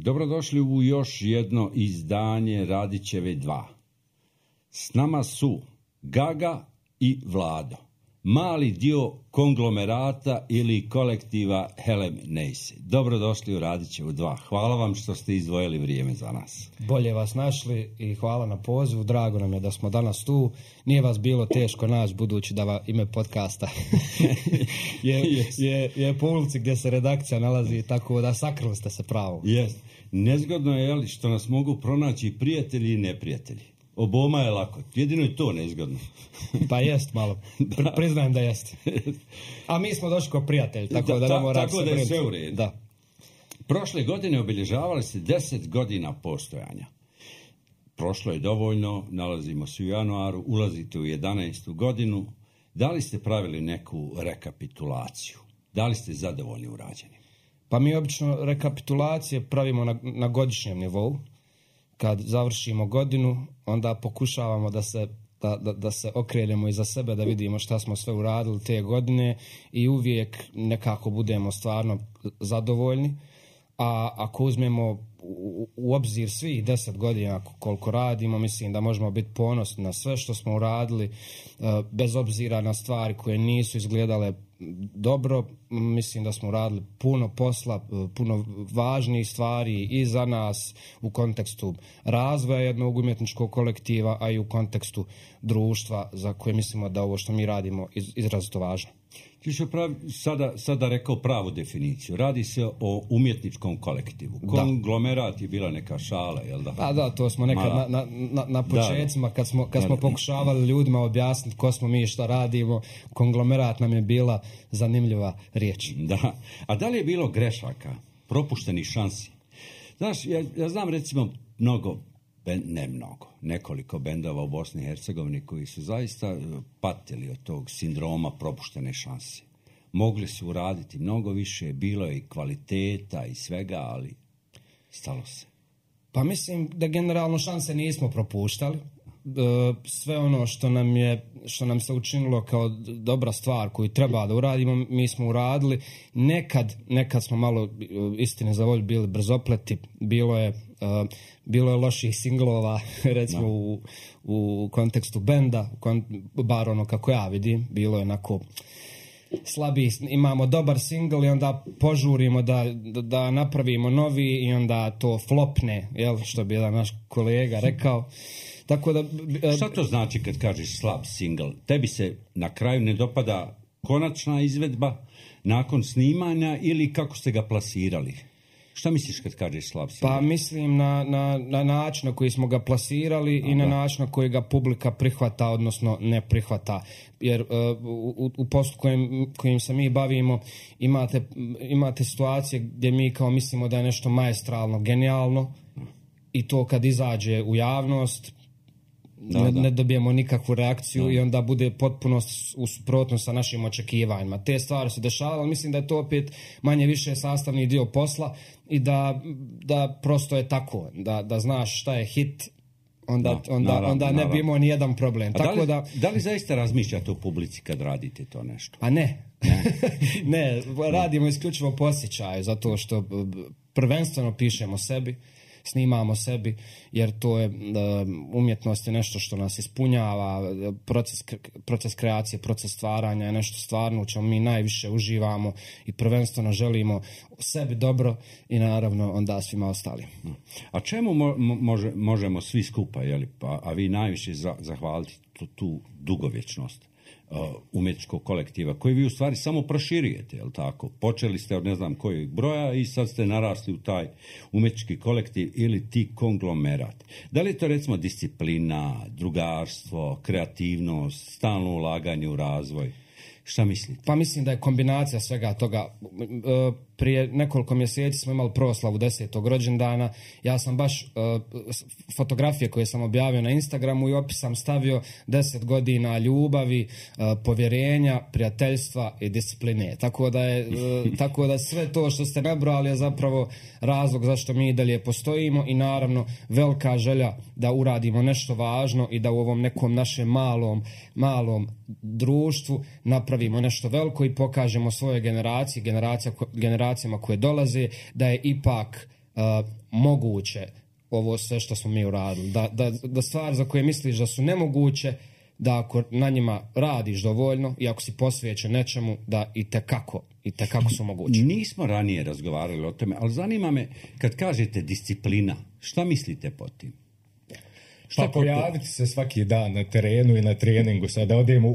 Dobrodošli u još jedno izdanje Radićeve 2. S nama su Gaga i Vlado, mali dio konglomerata ili kolektiva Helem Neise. Dobrodošli u Radićevu 2. Hvala vam što ste izdvojili vrijeme za nas. Bolje vas našli i hvala na pozivu. Drago nam je da smo danas tu. Nije vas bilo teško naći, budući da ime podcasta je po ulici gdje se redakcija nalazi, tako da sakrili ste se pravo. Yes. Nezgodno je što nas mogu pronaći prijatelji i neprijatelji. Oboma je lako, jedino je to nezgodno. Pa jest malo, priznajem da jest. A mi smo došli kao prijatelji, tako da ne mora se tako da je sve u redu. Da. Prošle godine obilježavali se 10 godina postojanja. Prošlo je dovoljno, nalazimo se u januaru, ulazite u 11. godinu. Da li ste pravili neku rekapitulaciju? Da li ste zadovoljni urađeni? Pa mi obično rekapitulacije pravimo na godišnjem nivou. Kad završimo godinu, onda pokušavamo da se okrenemo iza sebe, da vidimo šta smo sve uradili te godine i uvijek nekako budemo stvarno zadovoljni. A ako uzmemo u obzir svih 10 godina koliko radimo, mislim da možemo biti ponosni na sve što smo uradili, bez obzira na stvari koje nisu izgledale dobro. Mislim da smo uradili puno posla, puno važnijih stvari i za nas u kontekstu razvoja jednog umjetničkog kolektiva, a i u kontekstu društva za koje mislimo da ovo što mi radimo izrazito važno. Ti si sada rekao pravu definiciju. Radi se o umjetničkom kolektivu. Konglomerat je bila neka šala, jel da? Pa da, to smo nekad na početcima, kad smo pokušavali ljudima objasniti ko smo mi i šta radimo, konglomerat nam je bila zanimljiva riječ. Da. A da li je bilo grešaka, propuštenih šansi? Znaš, ja znam recimo nekoliko bendova u Bosni i Hercegovini koji su zaista patili od tog sindroma propuštene šanse. Mogli su uraditi mnogo više, bilo je i kvaliteta i svega, ali stalo se. Pa mislim da generalno šanse nismo propuštali. Sve ono što nam se učinilo kao dobra stvar koju treba da uradimo, mi smo uradili. Nekad smo malo, istine za volju, bili brzopleti. Bilo je loših singlova, recimo u kontekstu benda, bar ono kako ja vidim, bilo je onako slabiji. Imamo dobar singl i onda požurimo da napravimo novi i onda to flopne, jel, što bi jedan naš kolega rekao. Tako da, šta to znači kad kažeš slab singl? Tebi se na kraju ne dopada konačna izvedba nakon snimanja ili kako ste ga plasirali? Šta misliš kad kažeš slab singl? Pa mislim na način na koji smo ga plasirali i na način na koji ga publika prihvata, odnosno ne prihvata. Jer u poslu kojim se mi bavimo imate situacije gdje mi kao mislimo da je nešto maestralno, genijalno i to kad izađe u javnost ne dobijemo nikakvu reakciju i onda bude potpuno u suprotnosti sa našim očekivanjima. Te stvari se dešavale, mislim da je to opet manje više sastavni dio posla i da prosto je tako, da znaš šta je hit, onda ne bi imao ni jedan problem. Tako da li zaista razmišljate o publici kad radite to nešto? A ne. Ne, radimo isključivo po osjećaju, zato što prvenstveno pišemo sebi, snimamo sebi, jer to je umjetnost je nešto što nas ispunjava, proces kreacije, proces stvaranja je nešto stvarno u čemu mi najviše uživamo i prvenstveno želimo sebi dobro i naravno onda svima ostalim. A čemu možemo svi skupa, a vi najviše zahvaliti tu dugovječnost umjetničkog kolektiva, koji vi u stvari samo proširujete, jel tako? Počeli ste od ne znam kojeg broja i sad ste narasli u taj umjetnički kolektiv ili ti konglomerat. Da li je to recimo disciplina, drugarstvo, kreativnost, stalno ulaganje u razvoj? Šta mislite? Pa mislim da je kombinacija svega toga. Prije nekoliko mjeseci smo imali proslavu 10. rođendana. Ja sam baš fotografije koje sam objavio na Instagramu i opis sam stavio 10 godina ljubavi, povjerenja, prijateljstva i discipline. Tako da sve to što ste nabrali je zapravo razlog zašto mi dalje postojimo i naravno velika želja da uradimo nešto važno i da u ovom nekom našem malom društvu napravimo nešto veliko i pokažemo svojoj generaciji, generacijama koje dolaze, da je ipak moguće ovo sve što smo mi uradili. Da stvari za koje misliš da su nemoguće, da ako na njima radiš dovoljno i ako si posvećen nečemu, da i tekako su moguće. Nismo ranije razgovarali o tome, ali zanima me, kad kažete disciplina, šta mislite pod tim? Pa pojaviti se svaki dan na terenu i na treningu, sad da odemo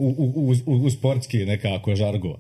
u sportski nekako žargo.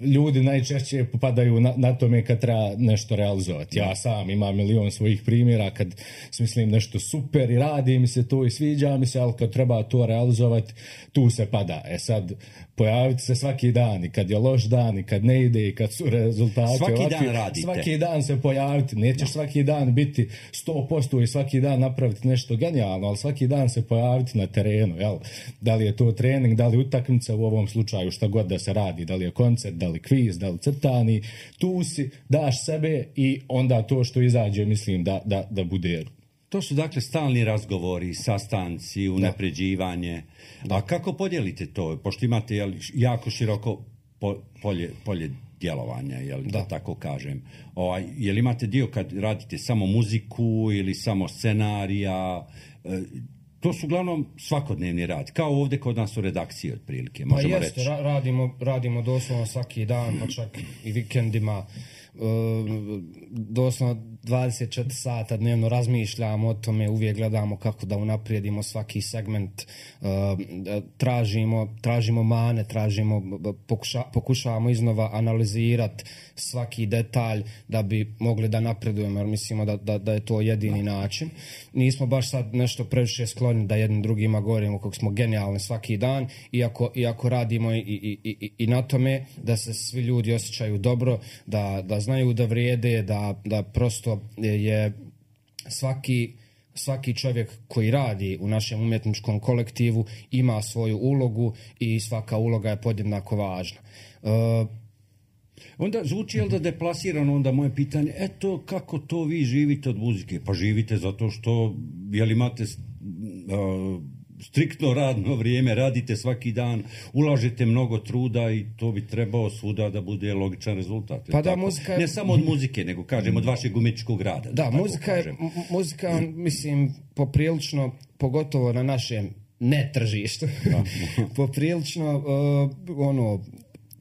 Ljudi najčešće popadaju na tome kad treba nešto realizovati. Ja sam imam milion svojih primjera kad smislim nešto super i radi mi se to i sviđa mi se, ali kad treba to realizovati, tu se pada. Sad, pojaviti se svaki dan i kad je loš dan i kad ne ide i kad su rezultati svaki dan radite. Svaki dan se pojaviti. Nećeš svaki dan biti 100% i svaki dan napraviti nešto genijalno, ali svaki dan se pojaviti na terenu. Jel? Da li je to trening, da li utakmica u ovom slučaju, šta god da se radi, da li je koncert, da li kviz, da li crtani, tu si, daš sebe i onda to što izađe mislim da bude. To su dakle stalni razgovori, sastanci, unapređivanje. A kako podijelite to? Pošto imate jako široko polje djelovanja, da tako kažem. Jel imate dio kad radite samo muziku ili samo scenarija? To su uglavnom svakodnevni rad, kao ovdje kod nas u redakciji otprilike, možemo reći. Radimo doslovno svaki dan, pa čak i vikendima. Doslovno 24 sata dnevno razmišljamo o tome, uvijek gledamo kako da unaprijedimo svaki segment, tražimo mane, pokušavamo iznova analizirati svaki detalj da bi mogli da napredujemo, jer mislimo da je to jedini način. Nismo baš sad nešto previše skloni da jednim drugima govorimo kako smo genijalni svaki dan, iako radimo i na tome da se svi ljudi osjećaju dobro, da znaju da vrijede, da prosto je svaki čovjek koji radi u našem umjetničkom kolektivu ima svoju ulogu i svaka uloga je podjednako važna. Onda zvuči da deplasirano onda moje pitanje, eto kako to vi živite od muzike? Pa živite zato što imate striktno radno vrijeme, radite svaki dan, ulažete mnogo truda i to bi trebao svuda da bude logičan rezultat. Pa da, muzika... Ne samo od muzike, nego kažem od vašeg umjetničkog rada. Da, muzika, mislim, poprilično, pogotovo na našem netržištu, poprilično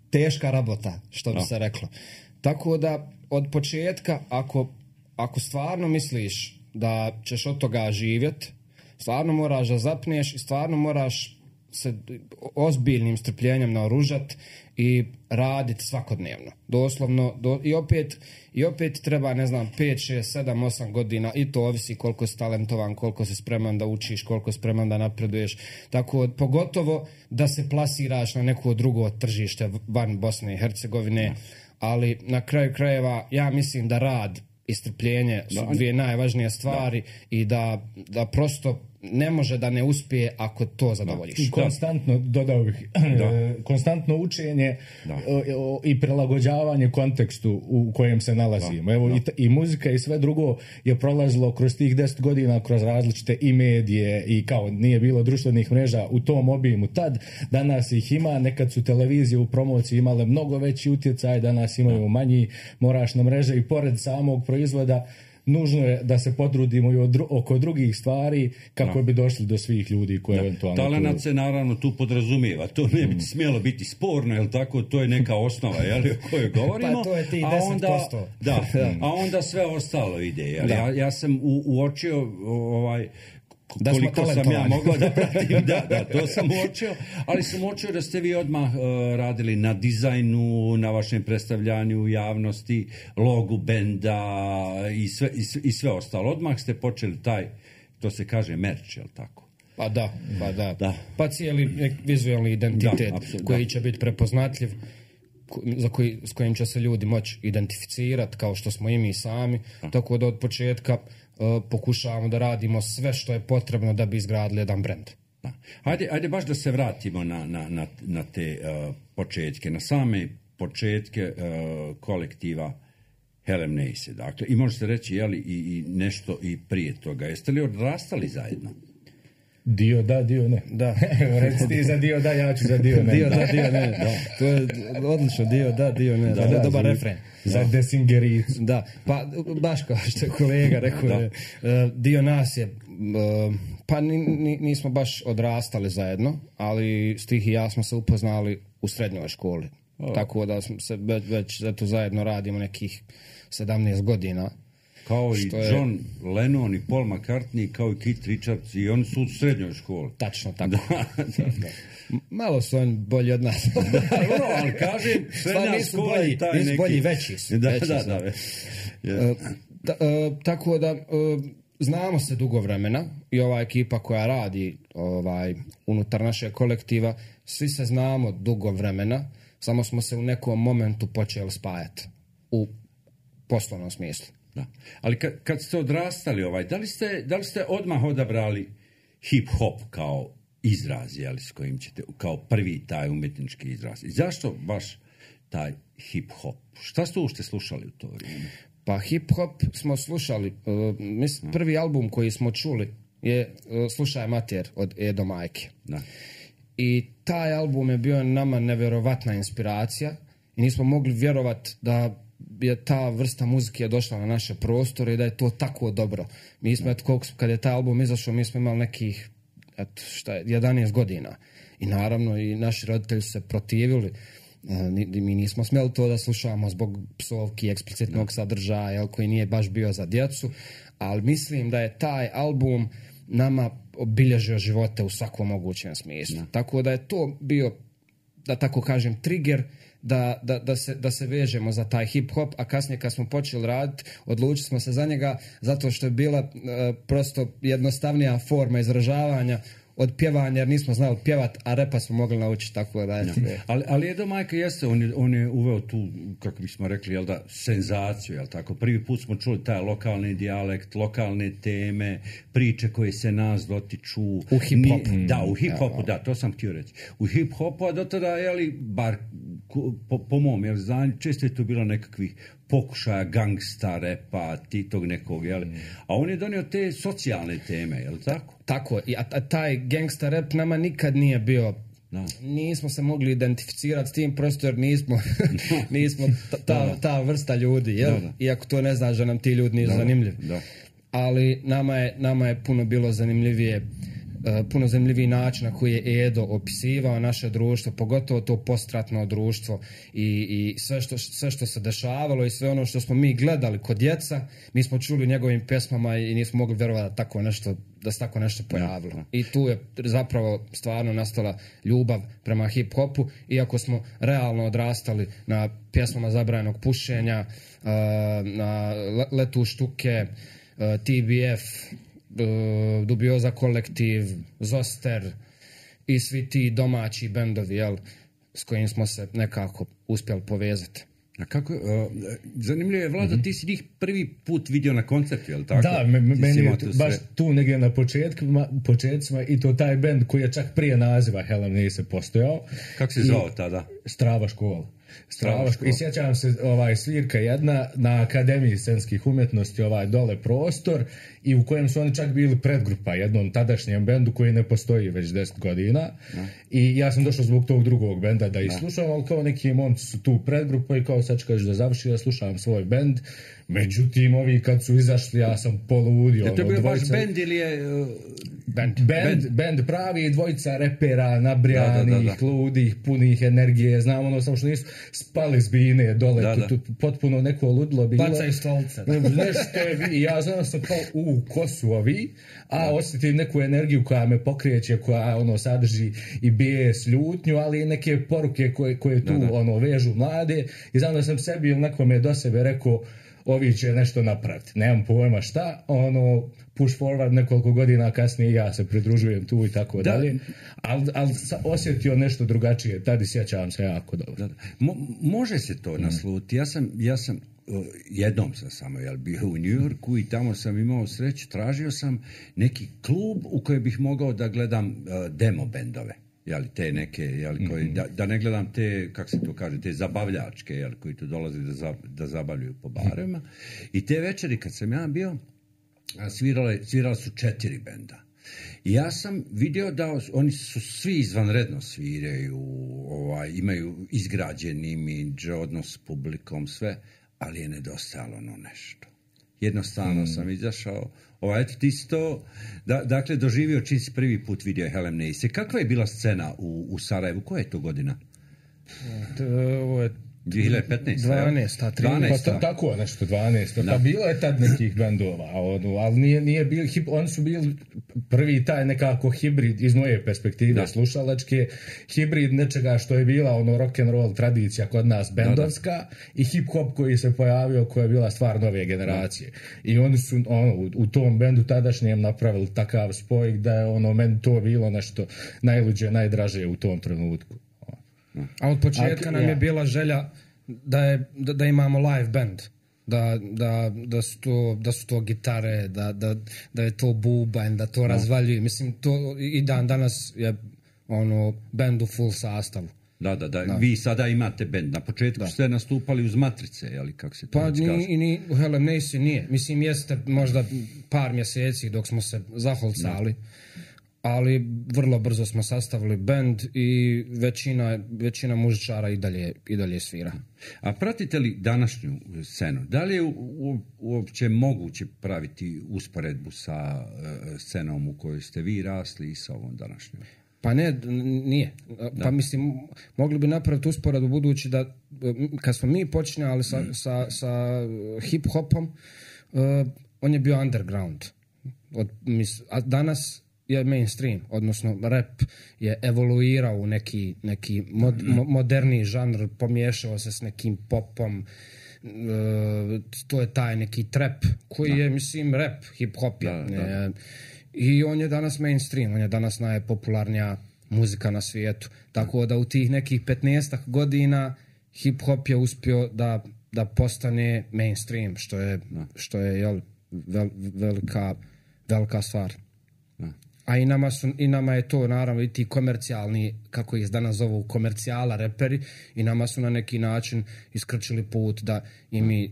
teška rabota, što bi se reklo. Tako da, od početka, ako stvarno misliš da ćeš od toga živjeti, stvarno moraš da zapneš i stvarno moraš se ozbiljnim strpljenjem naoružati i raditi svakodnevno. Doslovno, i opet treba, 5, 6, 7, 8 godina i to ovisi koliko si talentovan, koliko si spreman da učiš, koliko si spreman da napreduješ. Tako, pogotovo da se plasiraš na neko drugo tržište van Bosne i Hercegovine, ali na kraju krajeva ja mislim da rad i strpljenje su dvije najvažnije stvari i da prosto ne može da ne uspije ako to zadovoljiš. I konstantno, dodao bih, konstantno učenje i prilagođavanje kontekstu u kojem se nalazimo. Evo, i muzika i sve drugo je prolazilo kroz tih 10 godina, kroz različite i medije i kao nije bilo društvenih mreža u tom obimu tad. Danas ih ima, nekad su televizije u promociji imale mnogo veći utjecaj, danas imaju manji, moraš na mreže i pored samog proizvoda nužno je da se potrudimo i oko drugih stvari kako bi došli do svih ljudi koje eventualno... Talenat se naravno tu podrazumijeva, to ne bi smjelo biti sporno, jel tako, to je neka osnova, jel, o kojoj govorimo. Pa to je ti 10%. A onda sve ostalo ide, jel? Ja sam uočio koliko sam ja mogao da pratim, to sam uočio, ali sam uočio da ste vi odmah radili na dizajnu, na vašem predstavljanju u javnosti, logu benda i sve ostalo. Odmah ste počeli to se kaže merch, jel tako? Pa da. Pa cijeli vizualni identitet koji će biti prepoznatljiv, s kojim će se ljudi moći identificirati kao što smo i mi sami, tako da od početka pokušavamo da radimo sve što je potrebno da bi izgradili jedan brend. Ajde baš da se vratimo na te početke, na same početke kolektiva Helem Neise. Dakle, i može se reći, i nešto i prije toga. Jeste li odrastali zajedno? Dio da, dio ne. Da. Reci ti za dio da, ja ću za dio ne. Dio da, dio ne. Da. To je odlično, dio da, dio ne. Da, dobar refren. Za desingericu. Da, pa baš kao što je kolega rekao, dio nas je, pa nismo baš odrastali zajedno, ali Stih i ja smo se upoznali u srednjoj školi. Tako da smo se već eto, zajedno radimo nekih 17 godina. Kao i John Lennon i Paul McCartney, kao i Keith Richards, i oni su u srednjoj školi. Tačno, tako. Da. Malo su oni bolji od nas. Ali kažem, srednja škola i taj neki... bolji, veći su. Tako da, znamo se dugo vremena i ova ekipa koja radi unutar našeg kolektiva, svi se znamo dugo vremena, samo smo se u nekom momentu počeli spajati u poslovnom smislu. Da. Ali kad ste odrastali, da li ste odmah odabrali hip-hop kao izraz, s kojim ćete, kao prvi taj umjetnički izraz? I zašto baš taj hip-hop? Šta ste uopšte slušali u to vrijeme? Pa hip-hop smo slušali, prvi album koji smo čuli je Slušaj mater od Edo Majke. Da. I taj album je bio nama nevjerovatna inspiracija i nismo mogli vjerovati da je ta vrsta muzike došla na naše prostore i da je to tako dobro. Mi smo, kad je taj album izašao, mi smo imali nekih 11 godina. I naravno i naši roditelji su se protivili. Mi nismo smjeli to da slušamo zbog psovki, eksplicitnog sadržaja koji nije baš bio za djecu, ali mislim da je taj album nama obilježio živote u svakom mogućem smislu. Tako da je to bio, da tako kažem, trigger da se vežemo za taj hip-hop, a kasnije kad smo počeli raditi, odlučili smo se za njega zato što je bila prosto jednostavnija forma izražavanja od pjevanja, jer nismo znali pjevat, a repa smo mogli naučiti, tako da je. Ali Edo Majka jeste, on je uveo tu, kako bismo rekli, senzaciju, tako? Prvi put smo čuli taj lokalni dijalekt, lokalne teme, priče koje se nas dotiču. U hip-hopu. Da, u hip-hopu, da, to sam htio reći. U hip-hopu, a do tada, bar po mom znanju, često je to bilo nekakvih pokušaja gangsta repa, tog nekog, a on je donio te socijalne teme, je li tako? Tako, a taj gangsta rap nama nikad nije bio, nismo se mogli identificirati s tim, prosto jer nismo ta vrsta ljudi, jel? Iako to ne znači da nam ti ljudi nisu zanimljivi. Ali nama je puno bilo puno zanimljiviji način na koji je Edo opisivao naše društvo, pogotovo to postratno društvo i sve što se dešavalo i sve ono što smo mi gledali kod djeca, mi smo čuli u njegovim pjesmama i nismo mogli vjerovati da se tako nešto pojavilo. I tu je zapravo stvarno nastala ljubav prema hip-hopu, iako smo realno odrastali na pjesmama zabranjenog pušenja, na Letu štuke, TBF, Dubioza kolektiv, Zoster i svi ti domaći bendovi, s kojim smo se nekako uspjeli povezati. A kako, zanimljivo je, Vlado, ti si njih prvi put vidio na koncertu, je li tako? Da, meni je baš tu negdje na početcima i to taj bend koji je čak prije naziva Hell Am Nise postojao. Kako se zvao tada? Strava škola. I sjećam se svirka jedna na Akademiji scenskih umjetnosti, dole prostor, i u kojem su oni čak bili predgrupa jednom tadašnjem bendu koji ne postoji već 10 godina. I ja sam došao zbog tog drugog benda da ih slušam, ali kao neki momci su tu predgrupa i kao sad ću kaži da završi, ja slušam svoj bend. Međutim, ovi kad su izašli, ja sam poludio. Je to bio baš bend ili je... Bend pravi, dvojica repera nabrijanih, ludih, punih energije, znam samo što nisu spali s bine dole, potpuno neko ludilo bilo. Bacaju stolce. I ja znam sam kao, ko su ovi, a osjetim neku energiju koja me pokreće, koja sadrži i bijes, ljutnju, ali i neke poruke koje tu vežu mlade, i znam da sam sebi nekome do sebe rekao, ovi će nešto napraviti. Nemam pojma šta, push forward nekoliko godina kasnije ja se pridružujem tu i tako dalje. Ali osjetio nešto drugačije, tada sjećavam se jako dobro. Može se to nasluti. Ja sam jednom sam samo bio u New Yorku i tamo sam imao sreću, tražio sam neki klub u kojem bih mogao da gledam demo bendove. Te neke, koji, da ne gledam te, kako se to kaže, te zabavljačke, koji tu dolaze da zabavljaju po barima. I te večeri kad sam ja bio, svirala su 4 benda. Ja sam vidio da oni su svi izvanredno sviraju, imaju izgrađeni imidž, odnos s publikom, sve, ali je nedostajalo ono nešto. Jednostavno sam izašao, eto ti si to, dakle, doživio čim si prvi put vidio Helen Neise. Kakva je bila scena u Sarajevu? Koja je to godina? Ovo je 2015. 12. 13. Pa tako nešto, 12. Pa bilo je tad nekih bendova, ali nije bilo, oni su bili prvi taj nekako hibrid iz moje perspektive slušalačke, hibrid nečega što je bila rock'n'roll tradicija kod nas bendovska i hip-hop koji se pojavio, koja je bila stvar nove generacije. I oni su u tom bendu tadašnjem napravili takav spoj da je meni to bilo nešto najluđe, najdraže u tom trenutku. A od početka nam je bila želja da imamo live band, da su to gitare, da je to bubanj, da to razvaljuje. Mislim, to i danas je band u full sastavu. Da. Vi sada imate band. Na početku ste nastupali uz Matrice, jeli, kako se to kaže? Ni u Helen Neise nije. Mislim, jeste možda par mjeseci dok smo se zaholcali. Ali vrlo brzo smo sastavili bend i većina muzičara i dalje svira. A pratite li današnju scenu? Da li je uopće moguće praviti usporedbu sa scenom u kojoj ste vi rasli i sa ovom današnjom? Pa nije. Pa mislim, mogli bi napraviti usporedbu budući da kad smo mi počinjali sa hip-hopom, on je bio underground. A danas je mainstream, odnosno rap je evoluirao u neki moderni žanr, pomiješao se s nekim popom, to je taj neki trap koji je, mislim, rap, hip-hop je. I on je danas mainstream, on je danas najpopularnija muzika na svijetu. Tako da u tih nekih 15 godina hip-hop je uspio da postane mainstream, što je velika stvar. A i nama je to, naravno, i ti komercijalni, kako ih danas zovu, komercijala reperi, i nama su na neki način iskrčili put da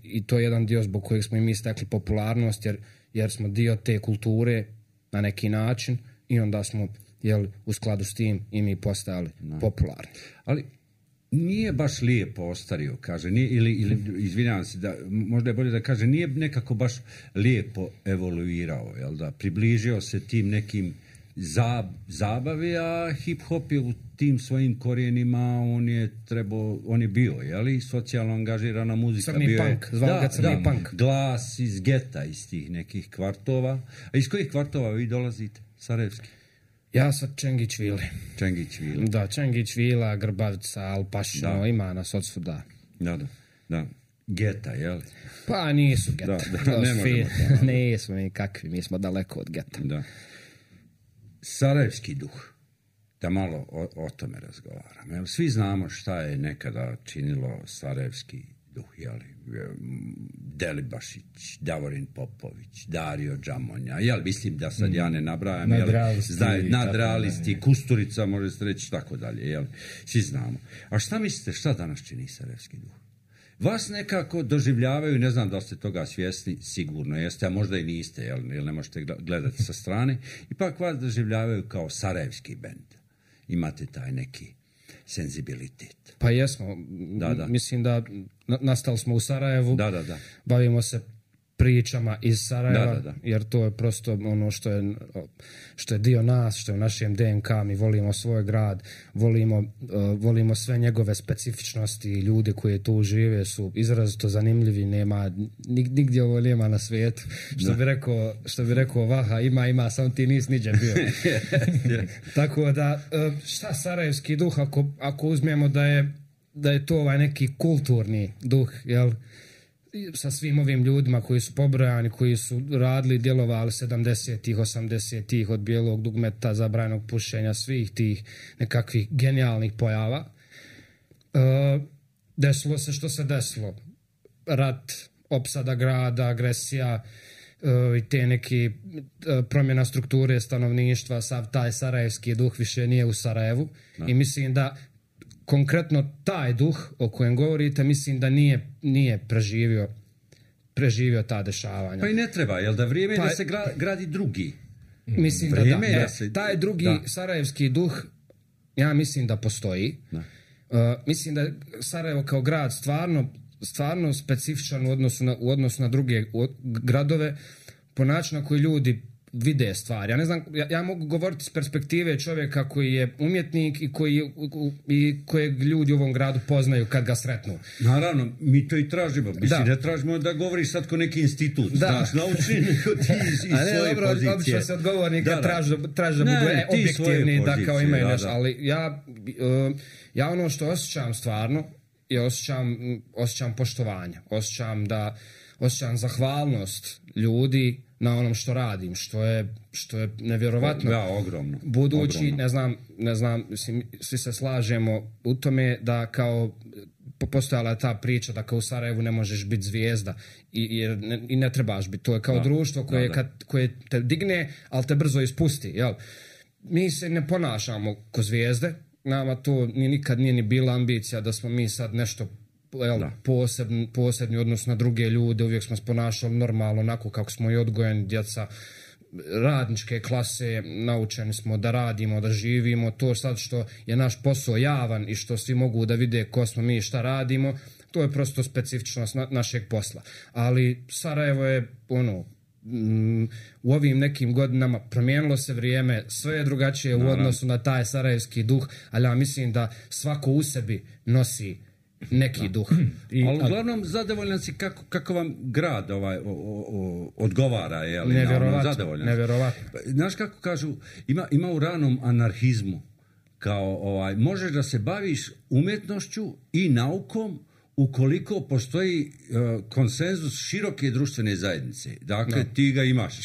i to je jedan dio zbog kojeg smo i mi stekli popularnost, jer smo dio te kulture na neki način i onda smo, u skladu s tim i mi postajali popularni. Ali nije baš lijepo ostario, kaže, ili izvinjavam se, možda je bolje da kaže, nije nekako baš lijepo evoluirao, jel da, približio se tim nekim zabavi, a hip-hop je u tim svojim korijenima, on je bio, jel, socijalno angažirana muzika. Crni punk, zvao ga crni punk. Glas iz geta, iz tih nekih kvartova. A iz kojih kvartova vi dolazite, sarajevski? Ja sa Čengić-Vili. Čengić-Vili. Da, Čengić-Vila, Grbavica, Alpašino, ima nas od svuda. Da. Geta, jel? Pa nisu geta. Ne možemo. Nismo mi kakvi, mi smo daleko od geta. Da. Sarajevski duh. Da malo o tome razgovaramo. Jel? Svi znamo šta je nekada činilo sarajevski duh, jeli? Delibašić, Davorin Popović, Dario Džamonja, mislim da sad ja ne nabrajam, nadrealisti, Kusturica, može se reći, tako dalje, jel? Svi znamo. A šta mislite, šta danas čini sarajevski duh? Vas nekako doživljavaju, ne znam da ste toga svjesni, sigurno jeste, a možda i niste, jel ne možete gledati sa strane, ipak vas doživljavaju kao sarajevski bend. Imate taj neki senzibilitet. Pa jesmo. Da. Mislim da nastali smo u Sarajevu. Da. Bavimo se pričama iz Sarajeva, jer to je prosto ono što je dio nas, što je u našem DNK. Mi volimo svoj grad, volimo sve njegove specifičnosti, i ljudi koji tu žive su izrazito zanimljivi, nema nigdje ovo nema na svijetu. Što bi rekao Vaha, ima, samo ti nisi niđe bio. Tako da, šta sarajevski duh, ako uzmemo da je to ovaj neki kulturni duh, jel? Sa svim ovim ljudima koji su pobrojani, koji su radili, djelovali 70-ih, 80-ih, od bijelog dugmeta, zabranjenog pušenja, svih tih nekakvih genijalnih pojava. Desilo se što se desilo. Rat, opsada grada, agresija, i te neki promjena strukture stanovništva, sav taj sarajevski duh više nije u Sarajevu. I mislim da konkretno taj duh o kojem govorite, mislim da nije preživio ta dešavanja. Pa i ne treba, jel da vrijeme da se gradi drugi Mislim da taj drugi sarajevski duh, ja mislim da postoji. Mislim da je Sarajevo kao grad stvarno specifičan u odnosu na druge gradove po načinu na koji ljudi vide stvari. Ja ne znam, ja mogu govoriti s perspektive čovjeka koji je umjetnik i kojeg ljudi u ovom gradu poznaju kad ga sretnu. Naravno, mi to i tražimo. Mislim, ne tražimo da govoriš sad ko neki institut. Znaš, naučni neko ti iz svoje pozicije. Obično se odgovornika traži da budu objektivni, da kao imaju nešto. Ali ja ono što osjećam stvarno je osjećam poštovanje. Osjećam zahvalnost ljudi na onom što radim, što je nevjerovatno. Ogromno. Budući, ogromno. ne znam, svi se slažemo u tome da kao postojala je ta priča da kao u Sarajevu ne možeš biti zvijezda i ne trebaš biti. To je kao društvo koje te digne, ali te brzo ispusti. Jel? Mi se ne ponašamo ko zvijezde, nama to nikad nije ni bila ambicija da smo mi sad nešto posebni odnos na druge ljude, uvijek smo se ponašali normalno, onako kako smo i odgojeni, djeca radničke klase, naučeni smo da radimo, da živimo, to sad što je naš posao javan i što svi mogu da vide ko smo mi i šta radimo, to je prosto specifičnost našeg posla. Ali Sarajevo je u ovim nekim godinama promijenilo se vrijeme, sve je drugačije u odnosu na taj sarajevski duh, ali ja mislim da svako u sebi nosi neki duh. Ali uglavnom zadovoljan si kako vam grad odgovara, je li? Nevjerovatno. Znaš kako kažu, ima u ranom anarhizmu, kao možeš da se baviš umjetnošću i naukom ukoliko postoji konsenzus široke društvene zajednice. Dakle, ti ga imaš.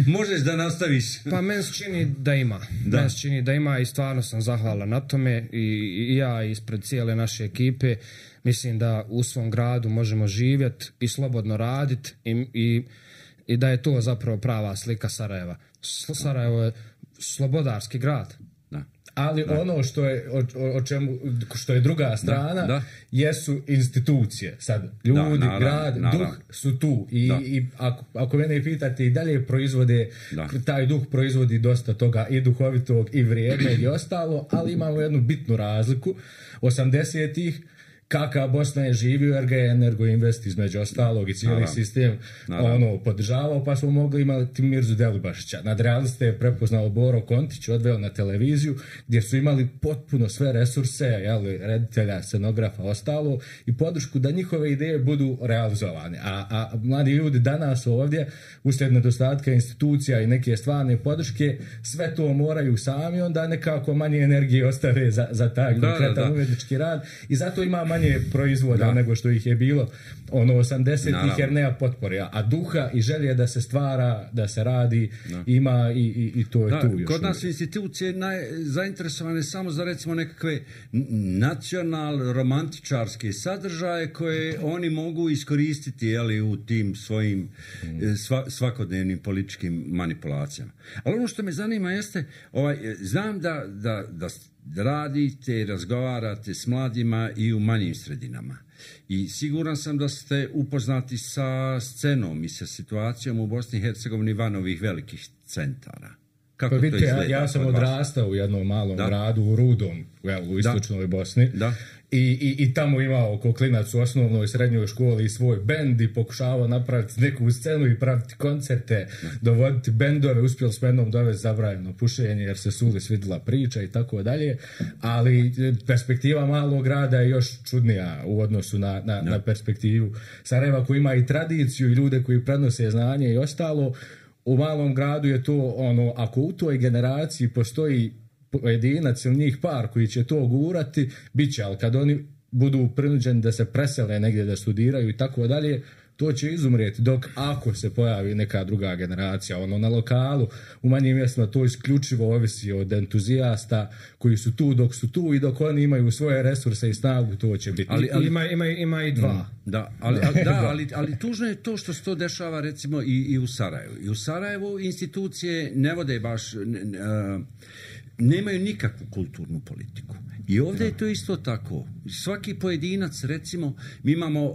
Možeš da nastaviš. Pa meni se čini da ima i stvarno sam zahvalan na tome i ja ispred cijele naše ekipe mislim da u svom gradu možemo živjeti i slobodno raditi i da je to zapravo prava slika Sarajeva. Sarajevo je slobodarski grad. Ali ono što je druga strana jesu institucije. Sad, ljudi, grad, duh su tu. I ako mene pitate i dalje proizvode, taj duh proizvodi dosta toga i duhovitog i vrijednog i ostalo, ali imamo jednu bitnu razliku. 80-ih kakva Bosna je živio jer ga je Energoinvest između ostalog i cijeli sistem podržavao, pa smo mogli imati Mirzu Delibašića. Nadrealiste je prepoznao Boro Kontić, odveo na televiziju gdje su imali potpuno sve resurse, reditelja, scenografa, ostalo i podršku da njihove ideje budu realizovane. A mladi ljudi danas ovdje, uslijed nedostatka institucija i neke stvarne podrške, sve to moraju sami, onda nekako manje energije ostave za taj konkretan umjetnički rad i zato ima manje proizvoda nego što ih je bilo 80-ih jer nema potpore, a duha i želje da se stvara, da se radi ima i to je tu još. Kod nas institucije zainteresovane samo za recimo nekakve nacional-romantičarske sadržaje koje oni mogu iskoristiti u tim svojim svakodnevnim političkim manipulacijama. Ali ono što me zanima jeste, znam da radite i razgovarate s mladima i u manjim sredinama. I siguran sam da ste upoznati sa scenom i sa situacijom u Bosni i Hercegovini van ovih velikih centara. Kako to izgleda? Ja sam odrastao u jednom malom gradu u Rudom, u istočnoj Bosni. I tamo imao ko klinac u osnovnoj i srednjoj školi svoj bend i pokušavao napraviti neku scenu i praviti koncerte, dovoditi bendove, uspjeli s jednom dovesti zabranjeno pušenje jer se Suli svidjela priča i tako dalje, ali perspektiva malog grada je još čudnija u odnosu na perspektivu Sarajeva koji ima i tradiciju i ljude koji prenose znanje i ostalo. U malom gradu je to ako u toj generaciji postoji pojedinac ili njih par koji će to gurati, bit će, ali kad oni budu prinuđeni da se presele negdje da studiraju i tako dalje, to će izumrijeti, dok ako se pojavi neka druga generacija, na lokalu, u manjim mjestima, to isključivo ovisi od entuzijasta koji su tu dok su tu i dok oni imaju svoje resurse i snagu, to će biti. Ima i dva. Ali tužno je to što se to dešava recimo i u Sarajevu. I u Sarajevu institucije ne vode baš nemaju nikakvu kulturnu politiku. I ovdje je to isto tako. Svaki pojedinac, recimo, mi imamo,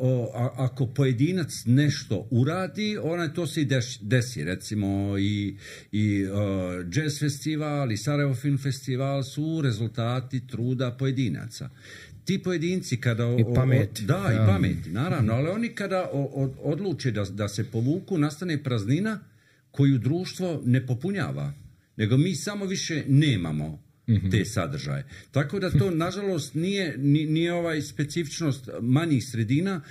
ako pojedinac nešto uradi, to se i desi. Recimo, i jazz festival, i Sarajevo film festival su rezultati truda pojedinaca. Ti pojedinci kada... I pameti. I pameti, naravno. Ali oni kada odluče da se povuku, nastane praznina koju društvo ne popunjava. Nego mi samo više nemamo te sadržaje. Tako da to, nažalost, nije specifičnost manjih sredina,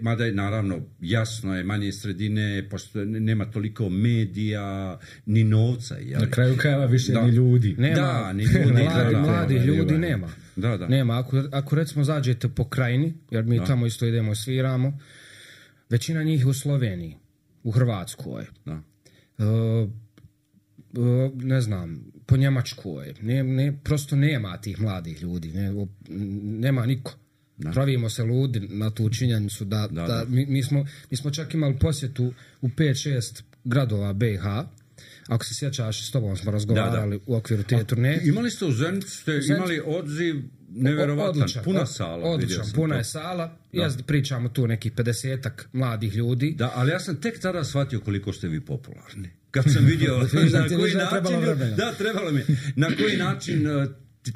mada je, naravno, jasno je, manje sredine, pošto nema toliko medija, ni novca. Na kraju krajeva više ni ljudi. Nema, ni ljudi. Mladi ljudi nema. Da. Nema. Ako recimo zađete po krajini, jer mi tamo isto idemo i sviramo, većina njih u Sloveniji, u Hrvatskoj. Da. Ne znam, po Njemačkoj, prosto nema tih mladih ljudi, nema niko. Pravimo se ludi na tu činjenicu da. Mi smo čak imali posjetu u 5-6 gradova BiH. Ako se sjećaš, s tobom smo razgovarali u okviru te turneje. Imali ste u Zenicu, ste imali odziv nevjerovatan, puna sala. Odličan, puna je sala. Ja pričamo tu nekih 50-ak mladih ljudi. Da, ali ja sam tek tada shvatio koliko ste vi popularni. Kad sam vidio na koji način... trebalo mi. Na koji način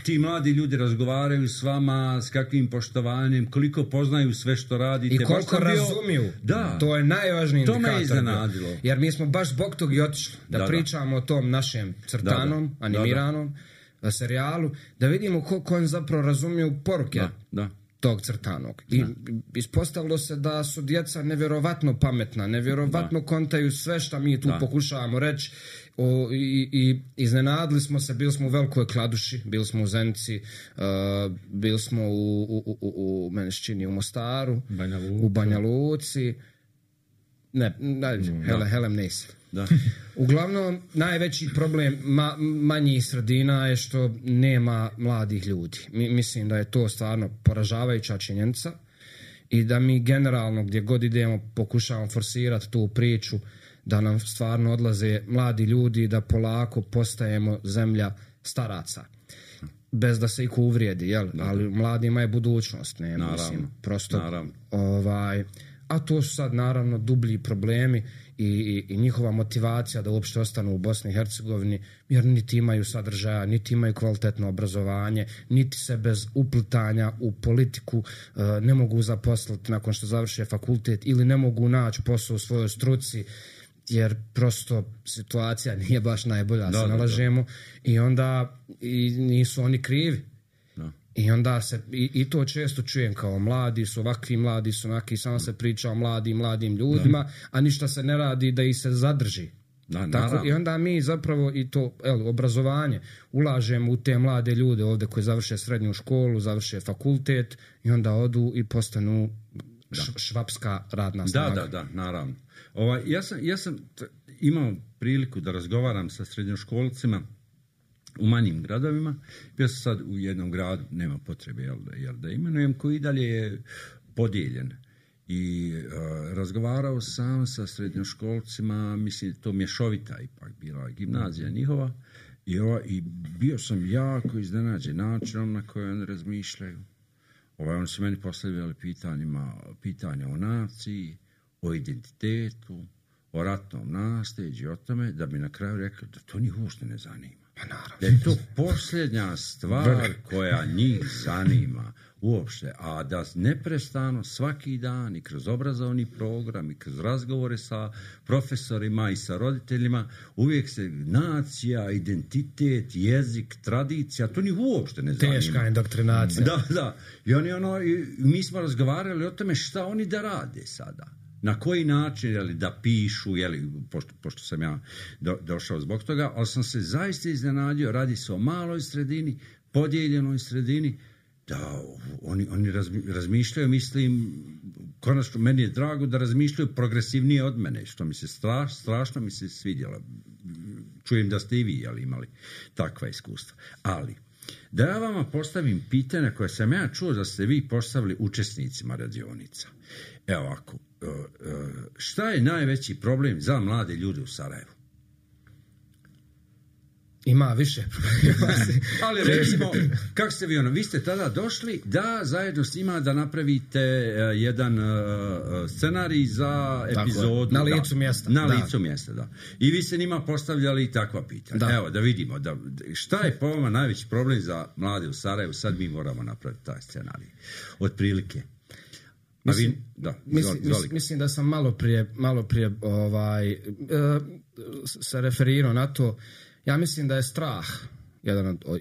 ti mladi ljudi razgovaraju s vama, s kakvim poštovanjem, koliko poznaju sve što radite. I koliko razumiju. Da. To je najvažniji indikator. To me iznenadilo. Jer mi smo baš zbog tog i otišli da pričamo o tom našem crtanom, animiranom serijalu, da vidimo koliko on zapravo razumiju poruke tog crtanog. I ispostavilo se da su djeca nevjerovatno pametna, nevjerovatno kontaju sve što mi tu pokušavamo reći. I iznenadili smo se, bili smo u Velikoj Kladuši, bili smo u Zenici, bili smo u Menešćini, u Mostaru, u Banja Luci. Helem Neisel. Uglavnom, najveći problem manjih sredina je što nema mladih ljudi. Mislim da je to stvarno poražavajuća činjenica i da mi generalno gdje god idemo pokušavamo forsirati tu priču da nam stvarno odlaze mladi ljudi, da polako postajemo zemlja staraca. Bez da se iko uvrijedi, ali mladima je budućnost. Mislim, prosto, a to su sad naravno dublji problemi i njihova motivacija da uopšte ostanu u Bosni i Hercegovini, jer niti imaju sadržaja, niti imaju kvalitetno obrazovanje, niti se bez uplitanja u politiku ne mogu zaposliti nakon što završe fakultet ili ne mogu naći posao u svojoj struci, jer prosto situacija nije baš najbolja, se nalažemo, i onda nisu oni krivi. I onda se, i to često čujem kao mladi su onaki, samo se priča o mladim ljudima, a ništa se ne radi da ih se zadrži. Tako, i onda mi zapravo i to obrazovanje ulažemo u te mlade ljude ovdje koji završe srednju školu, završe fakultet i onda odu i postanu švapska radna snaga. Da, naravno. Ja sam imao priliku da razgovaram sa srednjoškolcima u manjim gradovima. Ja sam sad u jednom gradu, nema potrebe da imenujem, koji i dalje je podijeljen. I razgovarao sam sa srednjoškolcima, mislim, to mješovita ipak bila gimnazija njihova, i bio sam jako iznenađen načinom na koje oni razmišljaju. Oni su meni postavljali pitanja o naciji, o identitetu, o ratnom nasljeđu, o tome, da bi na kraju rekli da to njih uopšte ne zanima. Da je to posljednja stvar koja njih zanima uopšte, a da neprestano svaki dan i kroz obrazovni program i kroz razgovore sa profesorima i sa roditeljima uvijek se nacija, identitet, jezik, tradicija, to njih uopšte ne zanima. Teška indoktrinacija. Da. I mi smo razgovarali o tome šta oni da rade sada. Na koji način, da pišu, pošto sam ja došao zbog toga, ali sam se zaista iznenadio, radi se o maloj sredini, podijeljenoj sredini, da oni razmišljaju, mislim, konačno meni je drago da razmišljaju progresivnije od mene, što mi se strašno mi se svidjelo. Čujem da ste i vi imali takva iskustva. Ali, da ja vama postavim pitanja koje sam ja čuo da ste vi postavili učesnicima radionica. Evo ovako, šta je najveći problem za mlade ljude u Sarajevu? Ima više. Ali recimo, kako ste vi vi ste tada došli da zajedno s njima da napravite jedan scenarij za epizodu. Na licu mjesta. Na licu mjesta, da. I vi ste njima postavljali takva pitanja. Da. Evo, da vidimo. Šta je po vama najveći problem za mlade u Sarajevu? Sad mi moramo napraviti taj scenarij. Otprilike. Mislim da sam malo prije se referirao na to. Ja mislim da je strah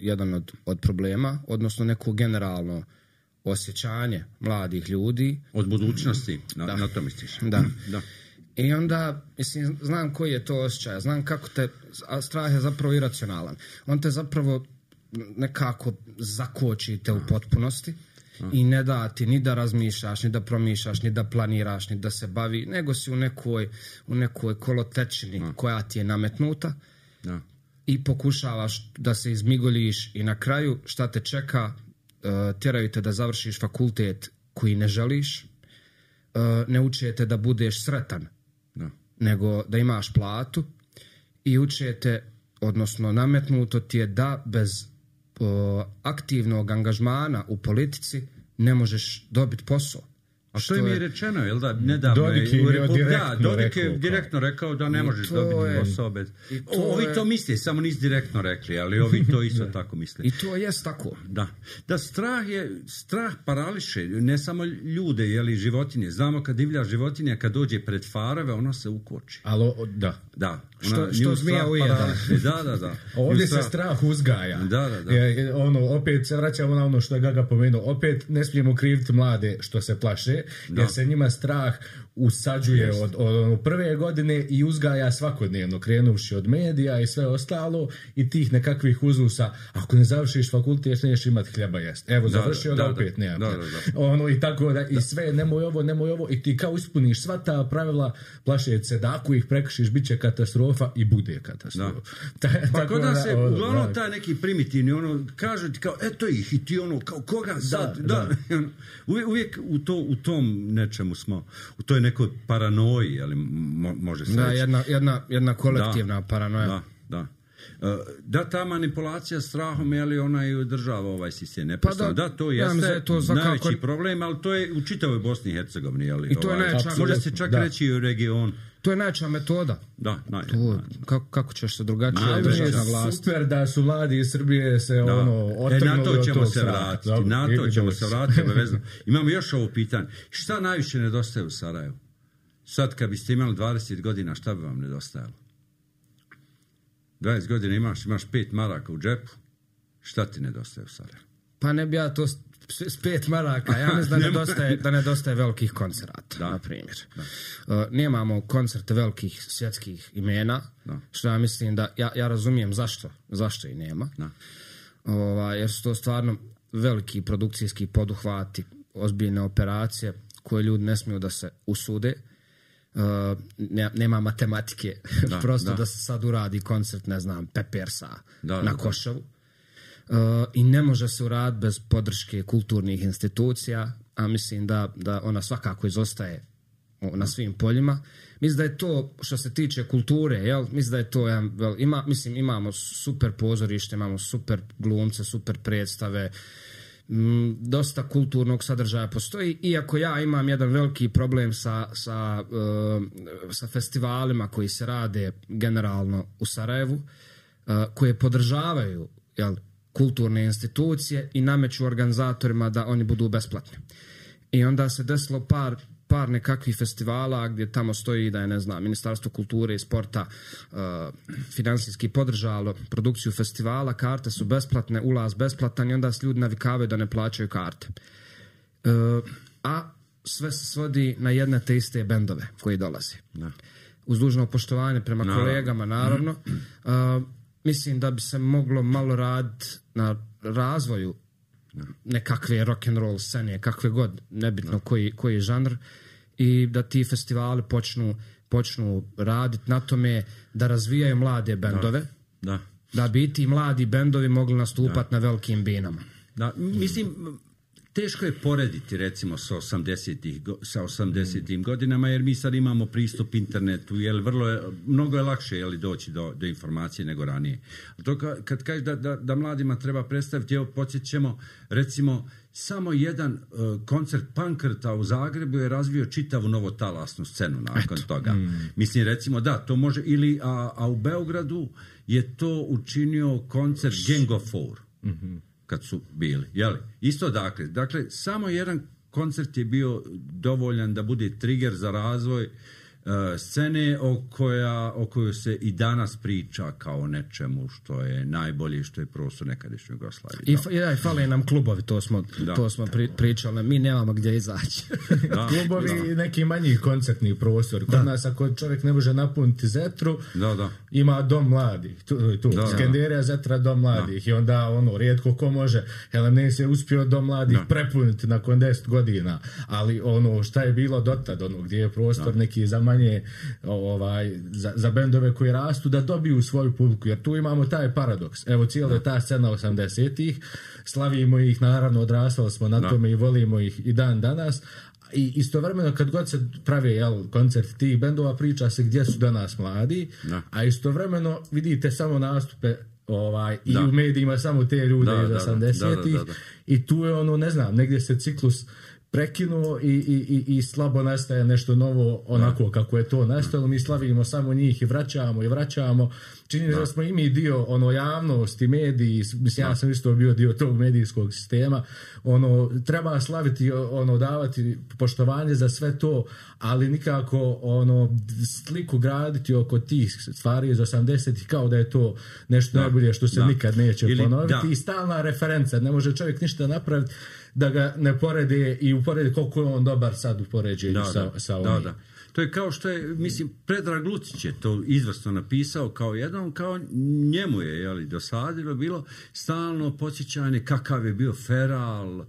jedan od problema, odnosno neko generalno osjećanje mladih ljudi. Od budućnosti, na to misliš. Da. I onda, mislim, znam koji je to osjećaj, znam kako a strah je zapravo iracionalan. On te zapravo nekako zakočite u potpunosti i ne da ti ni da razmišljaš, ni da promišljaš, ni da planiraš, ni da se bavi, nego si u nekoj kolotečini koja ti je nametnuta. Da. I pokušavaš da se izmigoljiš i na kraju šta te čeka, tjeraju te da završiš fakultet koji ne želiš, ne učete da budeš sretan, nego da imaš platu i učete, odnosno nametnuto ti je da bez aktivnog angažmana u politici ne možeš dobiti posao. A što im je rečeno, jel da? Nedavno Dodik je direktno rekao da ne možeš dobiti posao bez... Ovi to misle, samo nisu direktno rekli, ali ovi to isto tako misle. I to jest tako. Da, strah parališe, ne samo ljude, jeli životinje. Znamo kad divlja životinja, kad dođe pred farove, ona se ukoči. Ali, da. Što zmija ujeda. Da. Ovdje se strah uzgaja. Da. Opet se vraćamo na ono što je Gaga pomenuo. Opet ne smijemo kriviti mlade što se plaše, jer se njima strah usađuje od prve godine i uzgaja svakodnevno, krenuvši od medija i sve ostalo i tih nekakvih uzusa. Ako ne završiš fakultet, nećeš imati hljeba jest. Evo, završio ga, opet nema. I tako da, i sve, nemoj ovo, i ti kao ispuniš sva ta pravila, plašeći se da ako ih prekršiš, bit će katastrofa i bude katastrofa. Pa kod nas je uglavnom taj neki primitivni, kažu ti kao, eto ih, i ti kao, koga sad? Uvijek u tom nečemu smo, u toj nekoj paranoji, ali može se reći. Jedna kolektivna paranoja. Da, ta manipulacija strahom, ali ona i održava ovaj sistem neprestano. Da, to jeste najveći problem, ali to je u čitavoj Bosni i Hercegovini. I to je može se čak reći i u regionu. To je najjača metoda. Da, kako ćeš se drugačije održati na vlast? Super da su mladi iz Srbije se otrgnuli od tog straha. Na to ćemo se vratiti. Imamo još ovo pitanje. Šta najviše nedostaje u Sarajevu? Sad kad biste imali 20 godina, šta bi vam nedostajalo? 20 godina imaš 5 maraka u džepu. Šta ti nedostaje u Sarajevu? Pa ne bi ja to s 5 maraka. Ja mislim da nedostaje velikih koncerata, na primjer. Nemamo koncerte velikih svjetskih imena, što ja mislim da, ja razumijem zašto i nema. Jer su to stvarno veliki produkcijski poduhvati, ozbiljne operacije koje ljudi ne smiju da se usude. Nema matematike, prosto da se sad uradi koncert, ne znam, Peppersa na Košavu. I ne može se uraditi bez podrške kulturnih institucija, a mislim da ona svakako izostaje na svim poljima. Mislim da je to, što se tiče kulture, mislim da je to imamo super pozorište, imamo super glumce, super predstave, dosta kulturnog sadržaja postoji, iako ja imam jedan veliki problem sa festivalima koji se rade generalno u Sarajevu, koje podržavaju kulturne institucije i nameću organizatorima da oni budu besplatni. I onda se desilo par nekakvih festivala gdje tamo stoji da je, ne znam, Ministarstvo kulture i sporta finansijski podržalo produkciju festivala, karte su besplatne, ulaz besplatan i onda se ljudi navikavaju da ne plaćaju karte. A sve se svodi na jedne te iste bendove koji dolaze. Uz dužno poštovanje prema kolegama, naravno. Mislim da bi se moglo malo raditi na razvoju nekakve rock'n'roll scene, kakve god, nebitno koji je žanr, i da ti festivali počnu raditi na tome da razvijaju mlade bendove, da bi ti mladi bendovi mogli nastupati na velikim binama. Mislim, teško je porediti recimo sa 80-im godinama, jer mi sad imamo pristup internetu, jer mnogo je lakše doći do informacije nego ranije. To kad kažeš da mladima treba predstaviti, evo podsjećamo recimo samo jedan koncert Pankrta u Zagrebu je razvio čitavu novotalasnu scenu nakon toga. Mislim recimo da, to može, a u Beogradu je to učinio koncert Gang of Four. Kad su bili, jeli? Isto dakle, samo jedan koncert je bio dovoljan da bude trigger za razvoj scene o kojoj se i danas priča kao nečemu što je najbolje, što je prostor nekadašnje Jugoslavije. I fale nam klubovi, to smo pričali, mi nemamo gdje izaći. Klubovi i neki manji koncertni prostor. Kod nas ako čovjek ne može napuniti Zetru, ima dom mladih. Tu. Skenderija, Zetra, dom mladih. I onda rijetko ko može. Helenes je uspio dom mladih prepuniti nakon 10 godina. Ali šta je bilo dotad, gdje je prostor neki za manje za bendove koji rastu da dobiju svoju publiku, jer tu imamo taj paradoks. Evo cijela je ta scena 80-ih, slavimo ih, naravno odrastali smo na tome i volimo ih i dan danas, i istovremeno kad god se prave koncert tih bendova, priča se gdje su danas mladi, a istovremeno vidite samo nastupe i u medijima samo te ljude iz 80-ih i tu je ne znam, negdje se ciklus prekinuo i slabo nastaje nešto novo onako kako je to nastalo. Mi slavimo samo njih i vraćamo. Čini da smo i mi dio javnosti, mediji, mislim ja sam isto bio dio tog medijskog sistema. Treba slaviti, davati poštovanje za sve to, ali nikako sliku graditi oko tih stvari iz 80-ih kao da je to nešto najbolje što se nikad neće ponoviti. I stalna referenca, ne može čovjek ništa napraviti da ga ne porede i uporedi koliko je on dobar sad u poređenju sa ovim. To je kao što je, mislim, Predrag Lucić je to izvrsno napisao kao njemu je dosadilo bilo stalno podsjećanje kakav je bio Feral,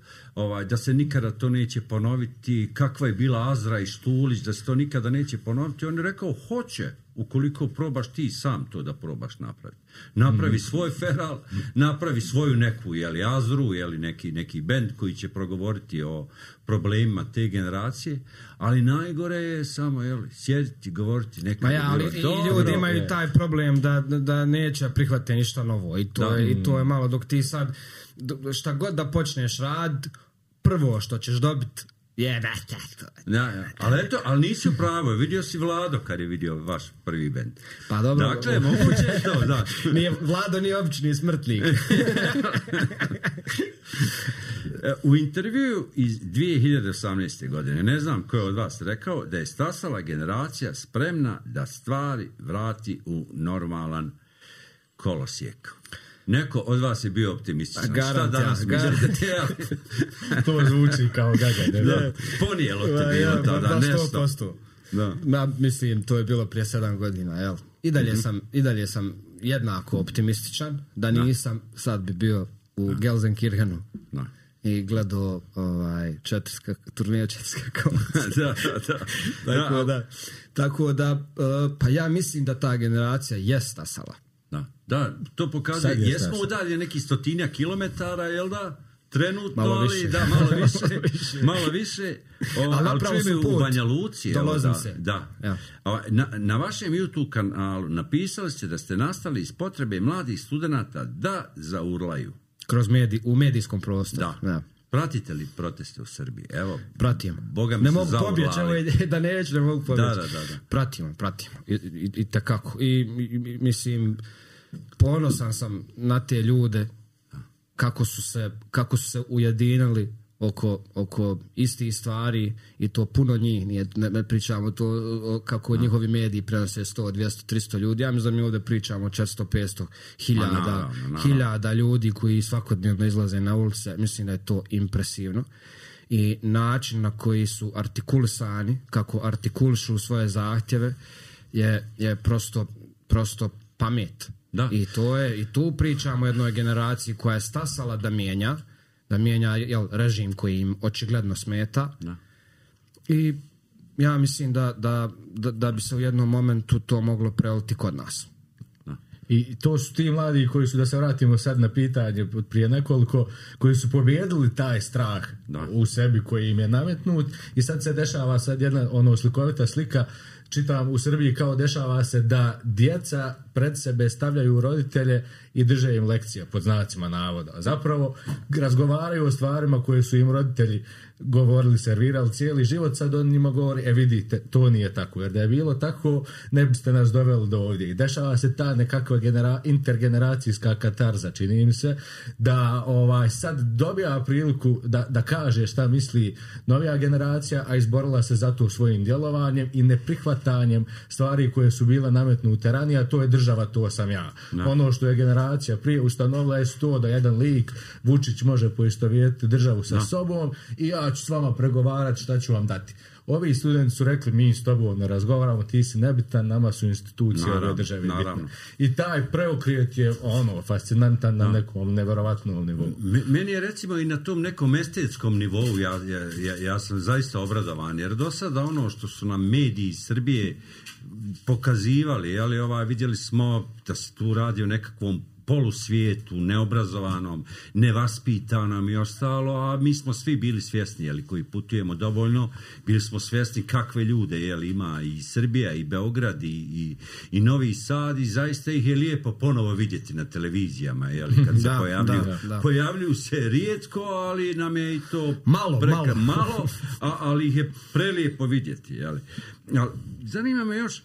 da se nikada to neće ponoviti, kakva je bila Azra i Štulić, da se to nikada neće ponoviti. On je rekao, hoće, ukoliko probaš ti sam to da probaš napraviti. Napravi svoj Feral, napravi svoju neku Azru, neki bend koji će progovoriti o problemima te generacije, ali najgore je samo sjediti, govoriti nekako. Ali i ljudi imaju taj problem da neće prihvatiti ništa novo i to je malo dok ti sad šta god da počneš rad, prvo što ćeš dobiti ali nisi u pravu, vidio si Vlado kad je vidio vaš prvi bend. Pa dobro. Dakle, moguće je to, da. Vlado nije obični smrtnik. U intervju iz 2018. godine, ne znam ko je od vas rekao, da je stasala generacija spremna da stvari vrati u normalan kolosijek. Neko od vas je bio optimističan. Šta danas mislite? To zvuči kao gaga. Ponijelo ti bilo tada, nešto. Mislim, to je bilo prije 7 godina, jel? I dalje sam jednako optimističan, da nisam, sad bi bio u Gelsenkirchenu i gledao turneju Četska kola. Tako da, pa ja mislim da ta generacija je stasala. Da, to pokazuje. Jesmo udalje neki 100 kilometara, jel da? Trenutno, malo više. Ali čujem u Banja Luci. Na vašem YouTube kanalu napisali ste da ste nastali iz potrebe mladih studenata da zaurlaju. U medijskom prostoru. Da. Pratite li proteste u Srbiji? Evo, pratim. Ne mogu pobjeći, da neću, ne mogu pobjeći. Da. Pratimo. I takako. I mislim, ponosan sam na te ljude kako su se ujedinili oko istih stvari i to puno njih, ne pričamo to kako njihovi mediji prenose 100, 200, 300 ljudi, ja mislim da mi ovdje pričamo o 400, 500 hiljada ljudi koji svakodnevno izlaze na ulice, mislim da je to impresivno i način na koji su artikulisani, kako artikulišu svoje zahtjeve je prosto pamet. I tu pričamo o jednoj generaciji koja je stasala da mijenja režim koji im očigledno smeta. I ja mislim da bi se u jednom momentu to moglo preliti kod nas. I to su ti mladi koji su, da se vratimo sad na pitanje prije nekoliko, koji su pobijedili taj strah u sebi koji im je nametnut i sad se dešava jedna slikovita slika, čitam u Srbiji kao dešava se da djeca pred sebe stavljaju roditelje i drže im lekcije pod znacima navoda. Zapravo razgovaraju o stvarima koje su im roditelji govorili, servirali cijeli život, sad on njima govori, vidite, to nije tako, jer da je bilo tako, ne biste nas doveli do ovdje. I dešava se ta nekakva intergeneracijska katarza, čini im se, da sad dobija priliku da kaže šta misli novija generacija, a izborila se za to svojim djelovanjem i neprihvatanjem stvari koje su bile nametnute ranije, a to je država, to sam ja. No. Ono što je generacija prije ustanovila je to da jedan lik, Vučić, može poistovjetiti državu sa sobom i ja ću s vama pregovarati šta ću vam dati. Ovi studenti su rekli, mi s tobom ne razgovaramo, ti si nebitan, nama su institucije ove države bitne. I taj preokret je fascinantan na nekom neverovatnom nivou. Meni je recimo i na tom nekom estetskom nivou ja sam zaista obradovan, jer do sada ono što su nam mediji Srbije pokazivali, vidjeli smo da se tu radi o nekakvom polusvijetu, neobrazovanom, nevaspitanom i ostalo, a mi smo svi bili svjesni, koji putujemo dovoljno, bili smo svjesni kakve ljude ima i Srbija, i Beograd, i Novi Sad, i zaista ih je lijepo ponovo vidjeti na televizijama, kad se pojavljuju. Pojavljuju se rijetko, ali nam je i to malo, ali ih je prelijepo vidjeti. Zanima me još,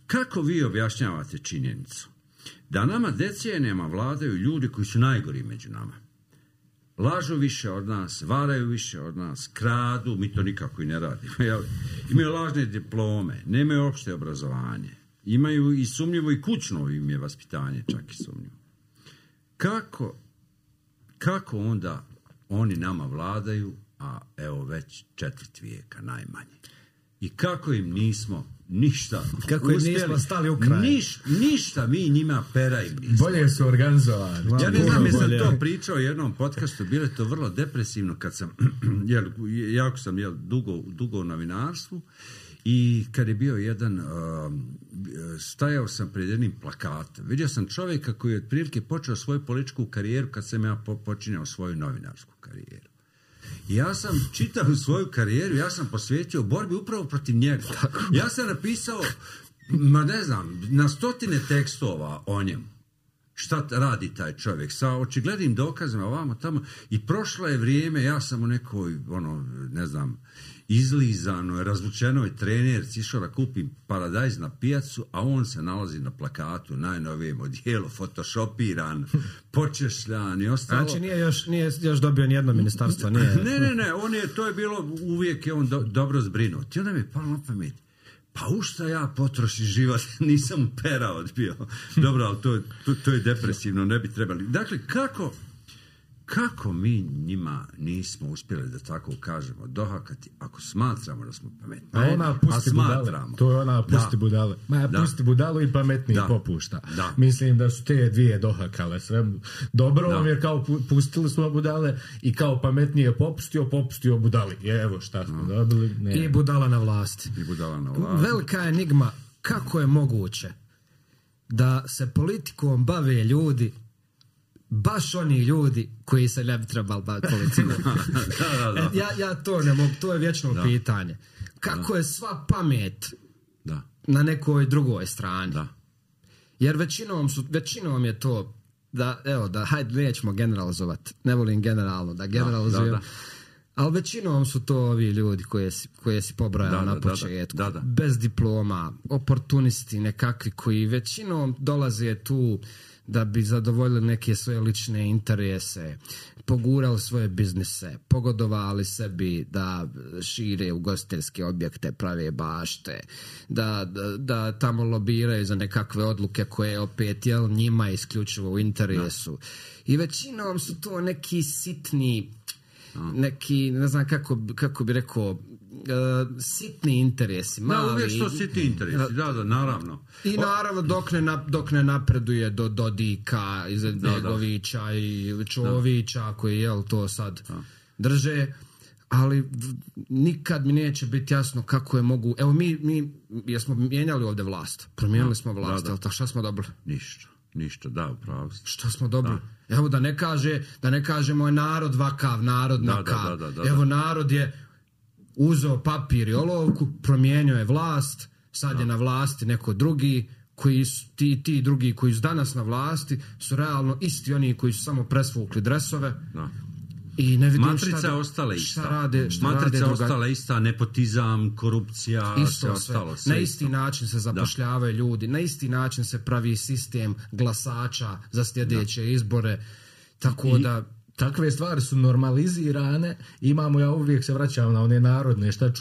kako vi objašnjavate činjenicu da nama decenijama vladaju ljudi koji su najgori među nama? Lažu više od nas, varaju više od nas, kradu, mi to nikako i ne radimo. Imaju lažne diplome, nemaju opšte obrazovanje, imaju i sumnjivo i kućno im je vaspitanje, čak i sumnjivo. Kako onda oni nama vladaju, a evo već 4 vijeka najmanje? I kako im nismo ništa kako je nismo stali u kraj? Ništa mi njima pera im nismo. Bolje su organizovani. Ja ne znam, sam to pričao u jednom podcastu, bilo je to vrlo depresivno kad sam, jako sam dugo u novinarstvu, i kad je bio jedan, stajao sam pred jednim plakatom. Vidio sam čovjeka koji je otprilike počeo svoju političku karijeru kad sam ja počinjao svoju novinarsku karijeru. Ja sam čitao svoju karijeru, ja sam posvetio borbi upravo protiv njega. Ja sam napisao, na 100 tekstova o njemu. Šta radi taj čovjek? Sa očiglednim dokazima ovamo tamo. I prošlo je vrijeme, ja sam u nekoj, izlizanoj, razvučenoj trenerci išao da kupim paradajz na pijacu, a on se nalazi na plakatu, najnovijem odijelu, photoshopiran, počešljan i ostalo. Znači nije još dobio nijedno ministarstvo? Nije... Ne, to je bilo, uvijek je on dobro zbrinut. I onda mi je palo na pamet, pa u šta ja potrošim život, nisam pera odbio. Dobro, ali to je depresivno, ne bi trebali. Dakle, kako mi njima nismo uspjeli, da tako kažemo, dohakati, ako smatramo da smo pametni? A smatramo. To je ona pusti budale. Pusti budalu i pametniji popušta. Da. Mislim da su te dvije dohakale sve. Dobro vam je kao pustili smo budale i kao pametnije popustio budali. Evo šta smo dobili. Ne. I budala na vlasti. Velika enigma, kako je moguće da se politikom bave ljudi, baš oni ljudi koji se ne bi trebali baviti politikom. Ja to ne mogu, to je vječno pitanje. Kako je sva pamet na nekoj drugoj strani? Jer većinom je to hajde, nećemo generalizovati, ne volim generalno da generalizujem, ali većinom su to ovi ljudi koje si pobrojao na početku. Bez diploma, oportunisti nekakvi koji većinom dolaze tu da bi zadovoljili neke svoje lične interese, pogurali svoje biznise, pogodovali sebi da šire ugostiteljske objekte, prave bašte, da tamo lobiraju za nekakve odluke koje opet njima isključivo u interesu. I većinom su to neki sitni, neki, ne znam kako bi rekao, sitni interesi, mali. Uvijek što sitni interesi, naravno. I naravno dok ne napreduje do Dodika, Begovića i Čovića koji to sad drže, ali nikad mi neće biti jasno kako je mogu. Evo mi jesmo mijenjali ovdje vlast, promijenili smo vlast, ali šta smo dobili? Ništa. Ništa, da, upravo. Šta smo dobili? Da. Evo da ne kažemo je narod vakav, narod nakav. Evo narod je uzeo papir i olovku, promijenio je vlast, sad je na vlasti neko drugi, koji su, ti drugi koji su danas na vlasti su realno isti oni koji su samo presvukli dresove. Da. I ne vidim matrica ostala ista. Matrica ostala ista, nepotizam, korupcija, isto ostalo. Na isti način se zapošljavaju ljudi, na isti način se pravi sistem glasača za sljedeće izbore. Tako da takve stvari su normalizirane. Ja uvijek se vraćam na one narodne. Šta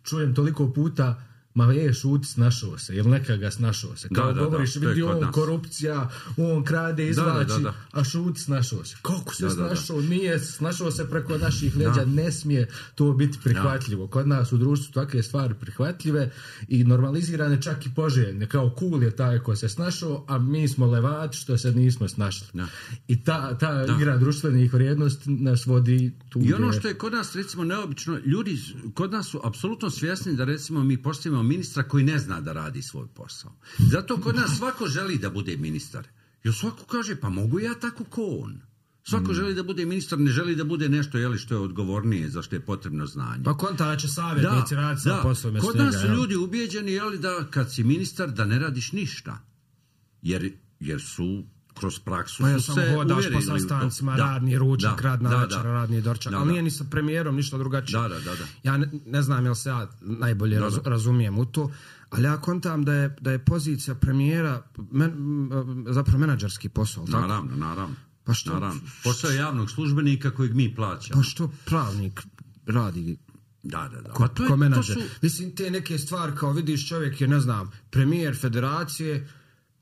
čujem toliko puta, ma šuti, snašao se, ili neka snašao se. Kao govoriš, vidi on korupcija, on krade, izvlači, a šuti, snašao se. Kako se snašao? Nije snašao se preko naših leđa, ne smije to biti prihvatljivo. Kod nas u društvu takve stvari prihvatljive i normalizirane, čak i poželjne. Kao cool je taj ko se snašao, a mi smo levači što se nismo snašli. I ta igra društvenih vrijednosti nas vodi tu. I ono što je kod nas, recimo, neobično, ljudi kod nas su apsolutno svjesni da, recimo, mi postavimo ministra koji ne zna da radi svoj posao. Zato kod nas svako želi da bude ministar. Jer svako kaže, pa mogu ja tako ko on. Svako želi da bude ministar, ne želi da bude nešto što je odgovornije, za što je potrebno znanje. Pa konta će savjetnici raditi sa poslom. Kod nas su ljudi ubijeđeni da kad si ministar da ne radiš ništa. Jer su kroz praksu su se uvjerili. Hodaš po sastancima, radni ručak, radna večera, radni dorčak, ali nije ni sa premijerom ništa drugačije. Ja ne znam jel se ja najbolje razumijem u to, ali ja kontam da je pozicija premijera zapravo menadžerski posao. Naravno. Pa što? Posao je javnog službenika kojeg mi plaćamo. Pa što pravnik radi? Da. Ko menadžer. Mislim, te neke stvari, kao vidiš, čovjek je, ne znam, premijer federacije,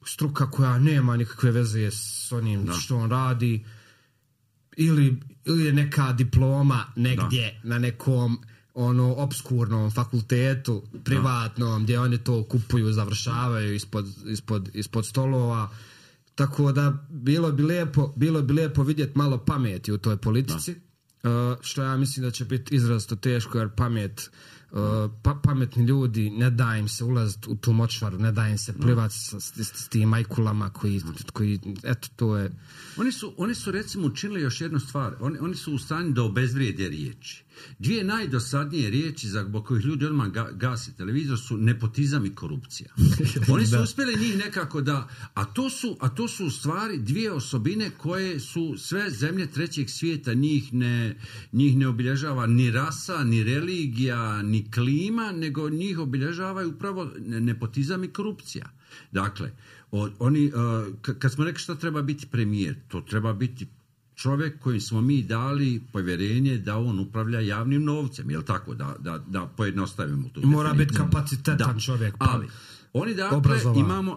struka koja nema nikakve veze s onim što on radi, ili je neka diploma negdje na nekom obskurnom fakultetu privatnom gdje oni to kupuju, završavaju ispod stolova. Tako da bilo bi lijepo vidjeti malo pameti u toj politici, što ja mislim da će biti izrazito teško, jer pametni ljudi, ne da im se ulaziti u tu močvaru, ne da im se plivati s tim majkulama koji eto, to je... Oni su recimo učinili još jednu stvar. Oni su u stanju da obezvrijede riječi. Dvije najdosadnije riječi zbog kojih ljudi odmah gasi televizor su nepotizam i korupcija. Oni su uspjeli njih nekako a to su u stvari dvije osobine koje su sve zemlje trećeg svijeta, njih ne obilježava ni rasa, ni religija, ni klima, nego njih obilježavaju upravo nepotizam i korupcija. Dakle, kad smo rekli šta treba biti premijer, to treba biti čovjek kojim smo mi dali povjerenje da on upravlja javnim novcem, jel tako, da pojednostavimo to. Mora biti kapacitetan čovjek. Ali oni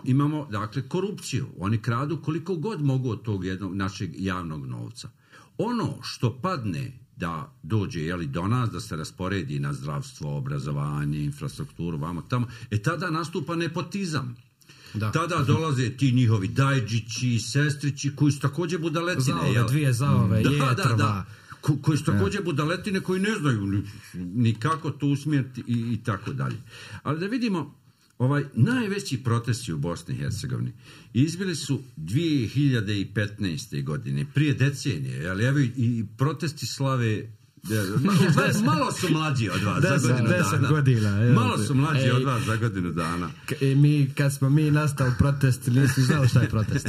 imamo korupciju. Oni kradu koliko god mogu od tog jednog našeg javnog novca. Ono što padne da dođe do nas, da se rasporedi na zdravstvo, obrazovanje, infrastrukturu, vamo tamo, tada nastupa nepotizam. Tada dolaze ti njihovi dajđići, sestrići, koji su također budaletine. Dvije zaove, jetrva. Koji su također budaletine, koji ne znaju ni kako to usmjeriti i tako dalje. Ali da vidimo, najveći protesti u Bosni i Hercegovini izbili su 2015. godine, prije decenije, ali evo i protesti slave. Malo su mlađi od vas za godinu dana. Malo su mlađi od vas za godinu dana. Kad smo mi nastali protesti, nisi znao šta je protest.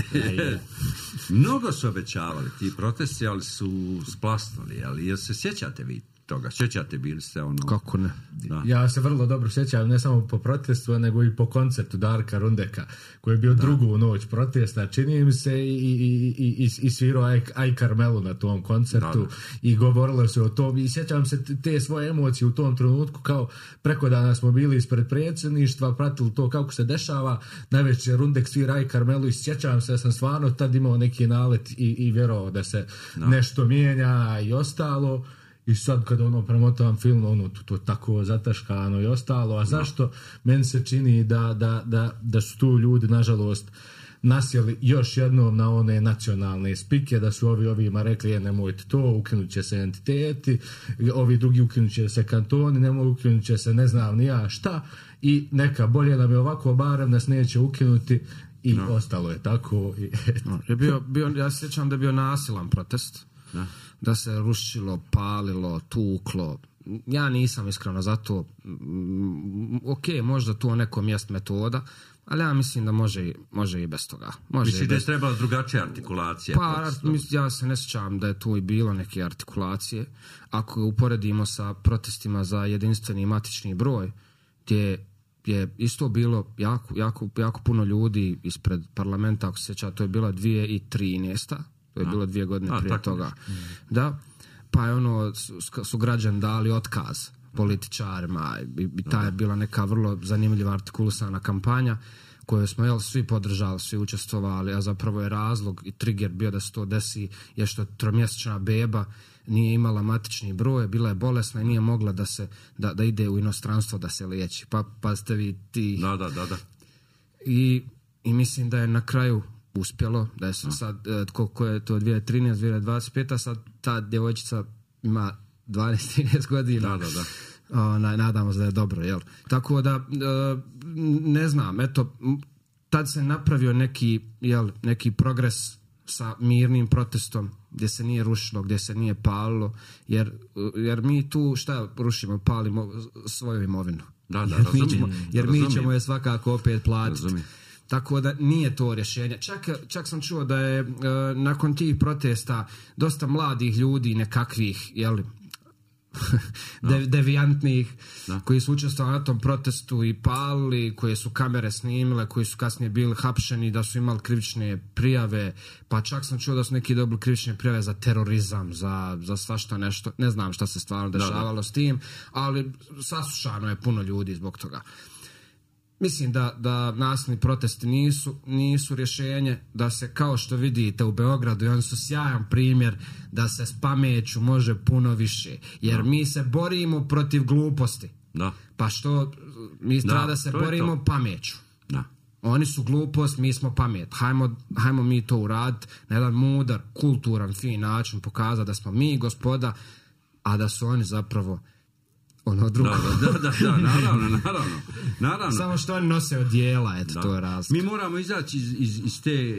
Mnogo su obećavali ti protesti, ali su splasnuli. Ali jel se sjećate vi toga? Sjećate, bili ste Kako ne? Ja se vrlo dobro sjećam, ne samo po protestu, nego i po koncertu Darka Rundeka, koji je bio drugu noć protesta, čini mi se, i svirao Aj Karmelu na tom koncertu i govorilo se o tom. I sjećam se te svoje emocije u tom trenutku, kao preko dana smo bili ispred predsjedništva, pratili to kako se dešava, najveće Rundek svira Aj Karmelu i sjećam se da sam stvarno tad imao neki nalet i vjerovao da se nešto mijenja i ostalo. I sad kad premotavam film, to tako zataškano i ostalo. A zašto? Meni se čini da su tu ljudi, nažalost, nasjeli još jednom na one nacionalne spike, da su ovima rekli, nemojte to, ukinut će se entiteti, ovi drugi ukinut će se kantoni, nemoj ukinut će se ne znam ni ja šta, i neka bolje nam je ovako, barem nas neće ukinuti i ostalo je tako. Ja se sjećam da je bio nasilan protest, da se rušilo, palilo, tuklo. Ja nisam iskreno za to. Ok, možda to nekom jest metoda, ali ja mislim da može i bez toga. Mislim da je trebala drugačija artikulacija? Pa, ja se ne sjećam da je tu i bilo neke artikulacije. Ako uporedimo sa protestima za jedinstveni matični broj, gdje je isto bilo jako puno ljudi ispred parlamenta, ako se sjeća, to je bila 2013. To je bilo 2 godine prije toga. Da, pa je su građani dali otkaz političarima i ta je bila neka vrlo zanimljiva artikulisana kampanja koju smo svi podržali, svi učestvovali, a zapravo je razlog i trigger bio da se to desi je što 3-mjesečna beba nije imala matični broj, bila je bolesna i nije mogla da ide u inostranstvo da se liječi. Pa ste vi ti... Da. I mislim da je na kraju uspjelo, da je sad, koliko je to 2013, 2025, sad ta djevojčica ima 12-13 godina. Da. Nadamo se da je dobro, jel? Tako da, ne znam, eto, tad se napravio neki progres sa mirnim protestom, gdje se nije rušilo, gdje se nije palilo, jer mi tu šta rušimo, palimo svoju imovinu. Jer mi ćemo je svakako opet platiti. Tako da nije to rješenje. Čak sam čuo da je nakon tih protesta dosta mladih ljudi nekakvih, devijantnih, koji su učestvovali na tom protestu i palili, koje su kamere snimile, koji su kasnije bili hapšeni, da su imali krivične prijave, pa čak sam čuo da su neki dobili krivične prijave za terorizam, za svašta nešto. Ne znam šta se stvarno dešavalo s tim, ali saslušano je puno ljudi zbog toga. Mislim da nasilni protesti nisu rješenje, da se, kao što vidite u Beogradu, i oni su sjajan primjer da se s pameću može puno više, jer mi se borimo protiv gluposti. Pa što mi treba da se borimo pameću. Oni su glupost, mi smo pamet. Hajmo mi to uraditi na jedan mudar, kulturan, fin način, pokazati da smo mi gospoda, a da su oni zapravo ono drugo. Da, naravno. Samo što oni nose odijela, to je razlika. Mi moramo izaći iz te,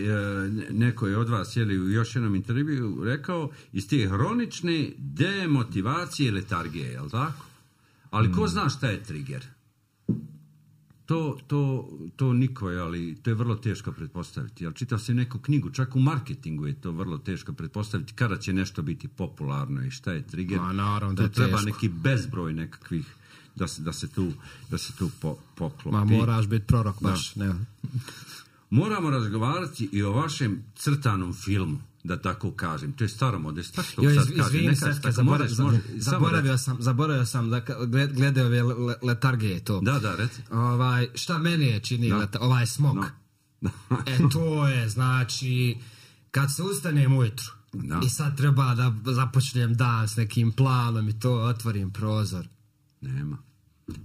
neko je od vas u još jednom intervju rekao, iz te hronične demotivacije i letargije, je li tako? Ali ko zna šta je trigger? To niko je, ali to je vrlo teško pretpostaviti. Jel, čitao sam neku knjigu, čak u marketingu je to vrlo teško pretpostaviti kada će nešto biti popularno i šta je trigger. Naravno da je treba teško. neki bezbroj nekakvih da se tu poklopi. Moraš biti prorok baš. Ne. Moramo razgovarati i o vašem crtanom filmu, da tako kažem. To je staromodno. Izvini se, zaboravio sam da glede ove letargije to. Da, reci. Šta meni je čini ovaj smog? To je, znači, kad se ustanem ujutru i sad treba da započnem dan s nekim planom i to, otvorim prozor. Nema.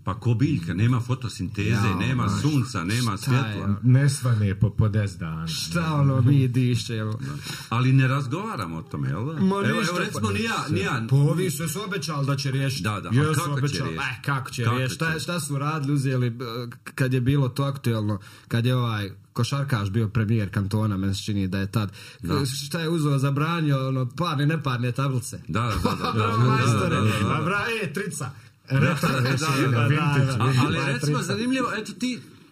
Pa ko biljka, nema fotosinteze, nema sunca, nema svjetla. Ne svane po 10 dana. Šta mi diše, evo. Ali ne razgovaramo o tome, jel da? Evo recimo, nija. Pa ovi su obećali da će riješiti. Da, a kako će riješiti? Šta su radili, uzeli, kad je bilo to aktuelno, kad je košarkaš bio premijer kantona, meni se čini da je tad. Šta je uzeo, zabranio, parne, neparne tablice. Da. Trica. Ali recimo zanimljivo, eto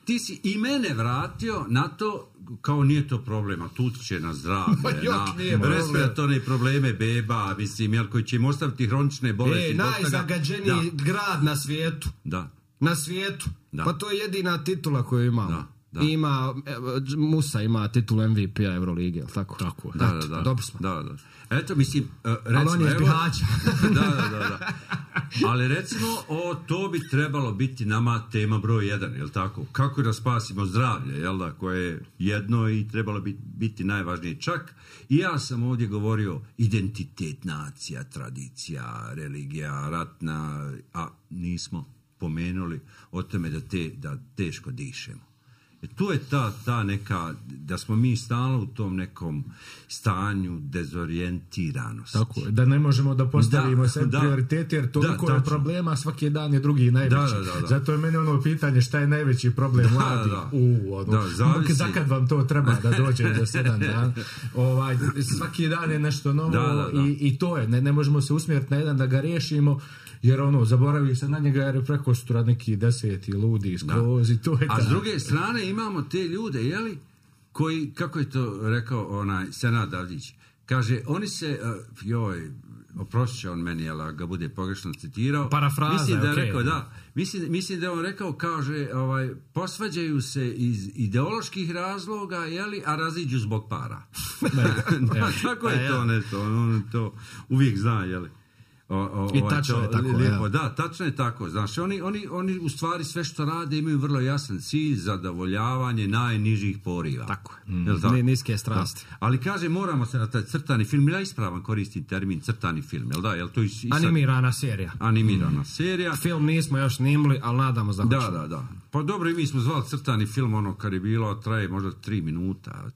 ti si i mene vratio na to, kao nije to problema, tu će na zdravlje, na respiratorne probleme beba, mislim, jel, koji će im ostaviti hronične bolesti. Najzagađeniji grad na svijetu. Na svijetu. Pa to je jedina titula koju imamo. Ima, Musa ima titulu MVP-a Eurolige, tako? Tako. Dobro smo. Da. Eto, mislim, recimo, ali on je iz Bihaća. Da. Ali recimo, to bi trebalo biti nama tema broj 1, jel tako? Kako da spasimo zdravlje, jel da, koje je jedno i trebalo biti najvažnije. Čak i ja sam ovdje govorio identitet, nacija, tradicija, religija, ratna, a nismo pomenuli o tome da teško dišemo. Tu je ta neka, da smo mi stalno u tom nekom stanju dezorijentiranosti. Tako je, da ne možemo da postavimo sve prioritete, jer toliko je problema, svaki dan je drugi najveći. Zato je meni ono pitanje šta je najveći problem mladi. Zakad vam to treba da dođe za 7 dana. Svaki dan je nešto novo i to je, ne možemo se usmjeriti na jedan da ga riješimo, jer zaboravi se na njega jer je preko sutra neki 10 ludi skroz i to je a s druge strane imamo te ljude, jeli, koji, kako je to rekao Senad Avdić, kaže, oni se, oprostit će on meni, jel, ga bude pogrešno citirao. Parafraza, mislim da je rekao, mislim da je on rekao, kaže, posvađaju se iz ideoloških razloga, jeli, a raziđu zbog para. Tako je to nešto, on to uvijek zna, jeli. I tačno je tako. Lijepo, da, tačno je tako. Znaš, oni u stvari sve što rade imaju vrlo jasan cilj, zadovoljavanje najnižih poriva. Tako je. Niske strasti. Ali kaže, moramo se na taj crtani film, ja ispravan koristim termin crtani film, jel da? Jel to animirana serija. Animirana serija. Film nismo još snimili, ali nadamo se da hoćemo. Da. Pa dobro, i mi smo zvali crtani film, kad je bilo, traje možda 3 minuta.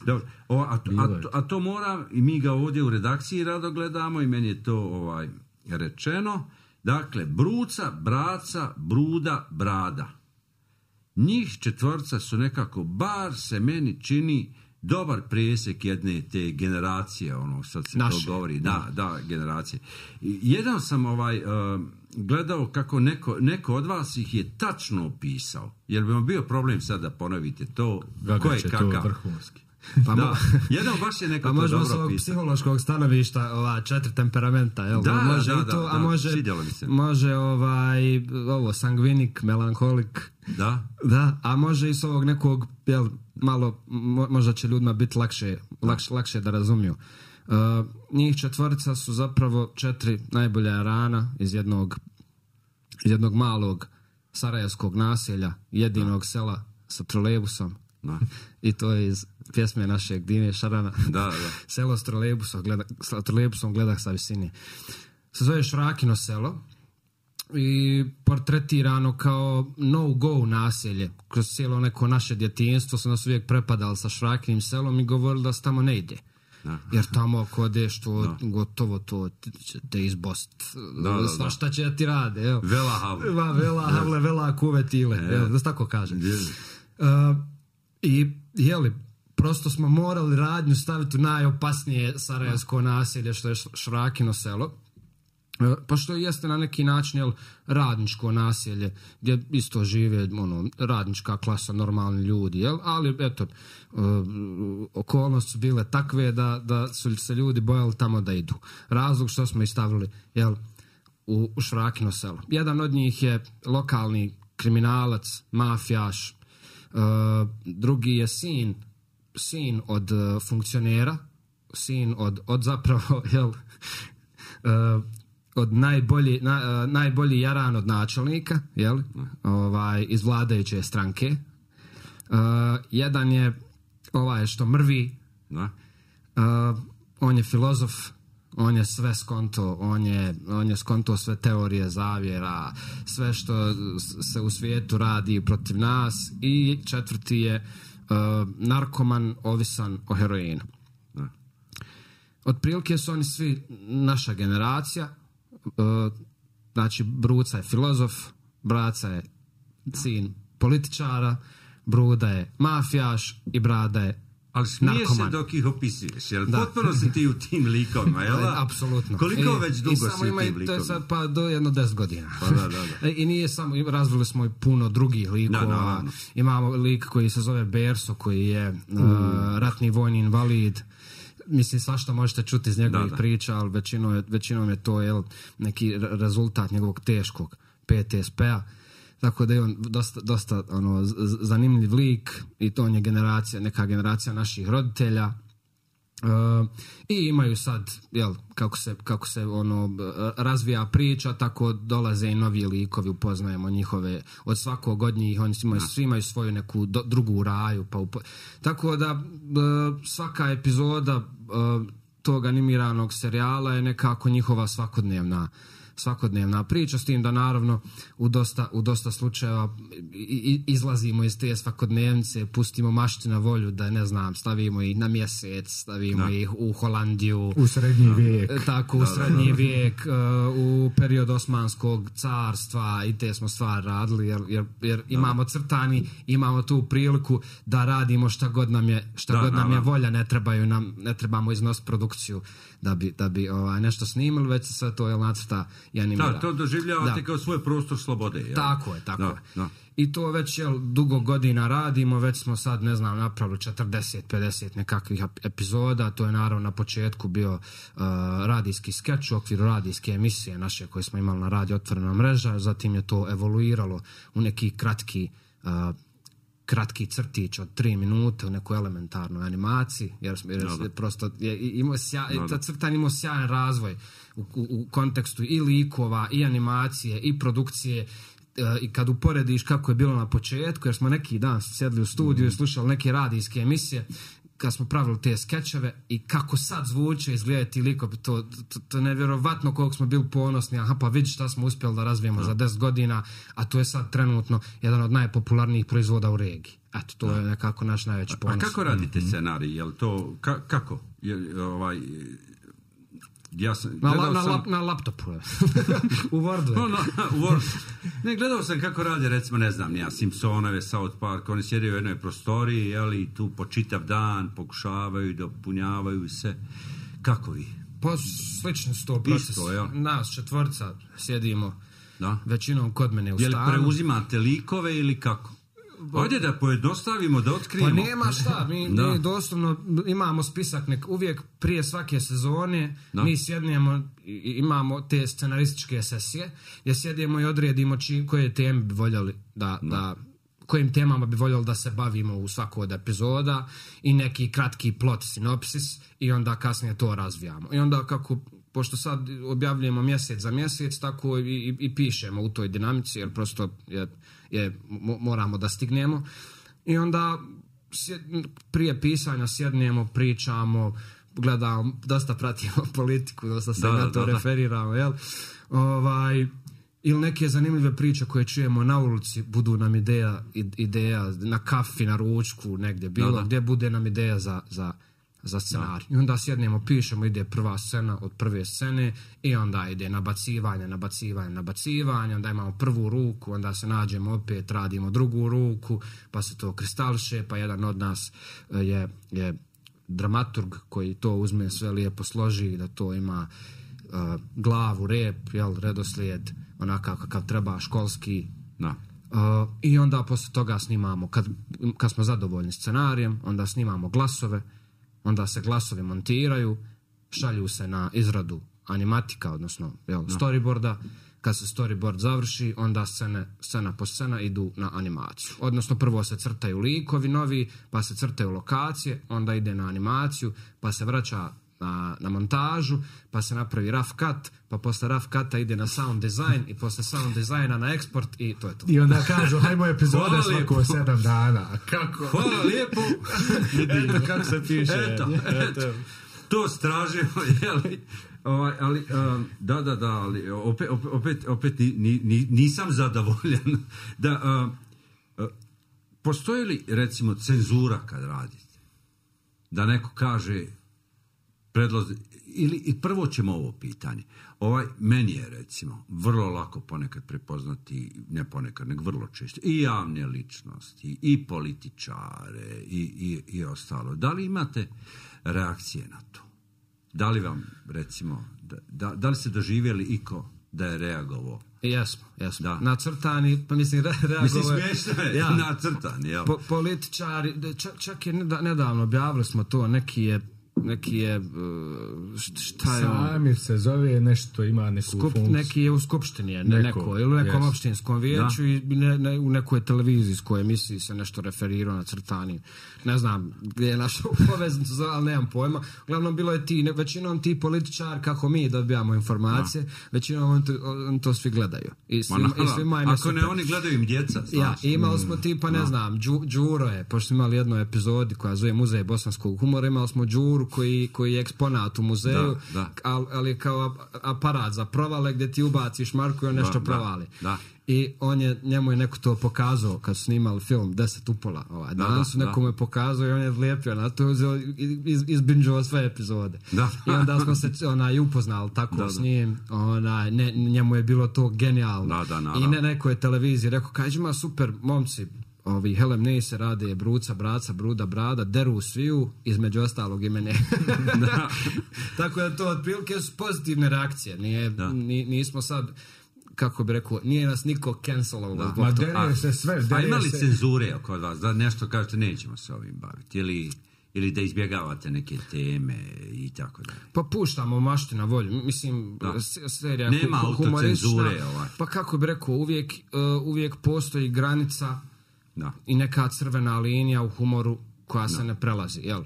Dobro. A to mora, i mi ga ovdje u redakciji rado gledamo i meni je to rečeno. Dakle, bruca, braca, bruda, brada. Njih 4 su nekako, bar se meni čini, dobar presjek jedne te generacije, sad se naše, to govori. Da, generacije. Jedan sam gledao kako neko od vas ih je tačno opisao. Jer bi vam bio problem sad da ponovite to. Ko je kakav? To vrhunski. Da, jedan baš je neko to dobro pisao. Pa može psihološkog stanovišta 4 temperamenta, jel? Da, može i to, a može, može sangvinik, melankolik. Da, a može i s ovog nekog, jel, malo, možda će ljudima biti lakše da razumiju. Njih 4 su zapravo 4 najbolja rana iz jednog malog sarajevskog naselja, jedinog sela sa trolejbusom. I to je iz pjesme našeg Dine Šarana. Selo s trolejbusom gledah sa visine. Se zove Šrakino selo i portretirano kao no-go naselje. Kroz cijelo neko naše djetinjstvo su nas uvijek prepadali sa Šrakinim selom i govorili da se tamo ne ide. Jer tamo ako odeš to gotovo to te izbost. Šta će da ti rade? Vela havle. Vela havle, vela kuvetile. Da se tako kaže. I jeli, prosto smo morali radnju staviti u najopasnije sarajevsko naselje što je Šrakino selo. Pa što jeste na neki način radničko naselje gdje isto žive radnička klasa, normalni ljudi, ali eto, okolnosti su bile takve da su se ljudi bojali tamo da idu. Razlog što smo ih stavili u Šrakino selo. Jedan od njih je lokalni kriminalac, mafijaš, drugi je sin od funkcionera, sin od zapravo od najbolji jaran od načelnika, iz vladajuće stranke. Jedan je što mrvi, on je filozof, on je sve skonto, on je skonto sve teorije zavjera, sve što se u svijetu radi protiv nas. I 4 je narkoman ovisan o heroinu. Otprilike su oni svi naša generacija. Znači, bruca je filozof, braca je sin političara, bruda je mafijaš i brada je ali smiješ se dok ih opisuješ, jer potpuno si ti u tim likovima, jel da? Apsolutno. Koliko već dugo si u tim likovima? To je sad pa do 10 godina. I nije samo, razvili smo i puno drugih likova. Imamo lik koji se zove Berso, koji je ratni vojni invalid. Mislim, svašta možete čuti iz njegovih priča, ali većinom je to neki rezultat njegovog teškog PTSP-a. Tako da je on dosta zanimljiv lik i to on je neka generacija naših roditelja. I imaju sad, kako se razvija priča, tako dolaze i novi likovi, upoznajemo njihove, od svakog od njih, oni svi imaju svoju neku drugu raju. Tako da svaka epizoda tog animiranog serijala je nekako njihova svakodnevna priča, s tim da naravno u dosta slučajeva izlazimo iz te svakodnevnice, pustimo mašti na volju, da ne znam, stavimo ih na mjesec, stavimo ih u Holandiju, u srednji vijek, tako, u srednji vijek, u period Osmanskog carstva, i te smo stvari radili, jer imamo crtani, imamo tu priliku da radimo šta god nam je volja, ne trebamo iznositi produkciju da bi nešto snimili, već se sve to nacrta i animira. Da, to doživljavate kao svoj prostor slobode. Jel? Tako je. I to već dugo godina radimo, već smo sad, ne znam, napravili 40-50 nekakvih epizoda. To je naravno na početku bio radijski skeč u okviru radijske emisije naše koje smo imali na Radio Otvorena mreža, zatim je to evoluiralo u neki kratki crtić od 3 minute u nekoj elementarnoj animaciji, jer prosto ta crtan imao sjajan razvoj u kontekstu i likova, i animacije, i produkcije. I kad uporediš kako je bilo na početku, jer smo neki dan sjedli u studiju i slušali neke radijske emisije kad smo pravili te skečeve, i kako sad zvuče, izgledaju ti likovi, to je nevjerovatno koliko smo bili ponosni. Pa vidi šta smo uspjeli da razvijemo za 10 godina, a to je sad trenutno jedan od najpopularnijih proizvoda u regiji. Eto, to je nekako naš najveći ponos. A kako radite scenarij? Jel to, kako? Ja sam, na laptopu u Wordu. U Wordu. Ne, gledao sam kako rade, recimo, ne znam, Simpsonove, South Park, oni sjede u jednoj prostoriji, jeli, tu po čitav dan pokušavaju, dopunjavaju se. Kako vi? Pa slično s to proces. Nas 4 sjedimo većinom kod mene u stanu. Je li preuzimate likove ili kako? Ajde da pojednostavimo, da otkrijemo. Pa nema šta, mi doslovno imamo spisak, uvijek prije svake sezone mi sjednemo i imamo te scenarističke sesije gdje sjedimo i odredimo koje teme bi voljeli kojim temama bi voljeli da se bavimo u svakoj od epizoda, i neki kratki plot sinopsis, i onda kasnije to razvijamo. I onda pošto sad objavljujemo mjesec za mjesec, tako i pišemo u toj dinamici, jer prosto moramo da stignemo. I onda prije pisanja sjednemo, pričamo, gledamo, dosta pratimo politiku, dosta se na to referiramo, jel? Ili neke zanimljive priče koje čujemo na ulici, budu nam ideja na kafi, na ručku, negdje bilo, gdje bude nam ideja za scenarij. I onda sjednemo, pišemo, ide prva scena od prve scene, i onda ide nabacivanje, onda imamo prvu ruku, onda se nađemo opet, radimo drugu ruku, pa se to kristališe, pa jedan od nas je dramaturg koji to uzme, sve lijepo složi, da to ima glavu, rep, redoslijed, onakav kakav treba, školski. I onda posle toga snimamo, kad smo zadovoljni scenarijem, onda snimamo glasove, onda se glasovi montiraju, šalju se na izradu animatika, odnosno storyboarda. Kad se storyboard završi, onda scena po scena idu na animaciju. Odnosno prvo se crtaju likovi novi, pa se crtaju lokacije, onda ide na animaciju, pa se vraća na montažu, pa se napravi rough cut, pa posle rough cuta ide na sound design, i posle sound designa na eksport, i to je to. I onda kažu, hajmo epizode svako 7 dana. Kako? Hvala lijepo. Eto kako se piše. Eto. To stražimo, jeli? Ali opet nisam zadovoljan. Postoji li, recimo, cenzura kad radite? Da neko kaže ili prvo ćemo ovo pitanje. Meni je, recimo, vrlo lako ponekad prepoznati, ne ponekad, nego vrlo često, i javne ličnosti, i političare, i ostalo. Da li imate reakcije na to? Da li vam, recimo, da li ste doživjeli iko da je reagovao? Jesmo. Nacrtani, pa mislim, reagovao... Mislim, smiješno je, nacrtani, jel? Političari, čak je nedavno objavili smo to, neki je šta je Samir se zove, nešto ima neku funkciju. Neki je u skupštini, ili u nekom opštinskom vijeću, i u nekoj televizijskoj emisiji se nešto referirao na crtani. Ne znam gdje je naša poveznica, ali nemam pojma. Uglavnom bilo je većinom ti političari, kako mi dobijamo informacije, većinom on to svi gledaju. Ako ne, oni gledaju im djeca. Imali smo tipa, ne znam, Đuro je, pošto smo imali jednu epizodi koja zove Muzej bosanskog humora, imali smo Đuru koji je eksponat u muzeju, ali kao aparat za provale gdje ti ubaciš marku i on nešto provali. I njemu je neko to pokazao kad su snimali film 10 upola. Danas neko mu je pokazao i on je lijepio na to, izbinđovao sve epizode. I onda smo se upoznali tako s njim. Njemu je bilo to genijalno. I neko je televiziji rekao, kaže ima super momci, Helem Neise rade Bruca, Braca, Bruda, Brada, deru sviju, između ostalog i mene. Tako da to otprilike su pozitivne reakcije. Nismo sad, kako bi rekao, nije nas niko cancelovao. Ma deruje se sve. A ima li cenzure kod vas? Da nešto kažete, nećemo se ovim baviti? Ili da izbjegavate neke teme i tako dalje? Pa puštamo mašti na volju. Mislim, serija nema autocenzure. Pa kako bi rekao, uvijek postoji granica i neka crvena linija u humoru koja se ne prelazi, jel?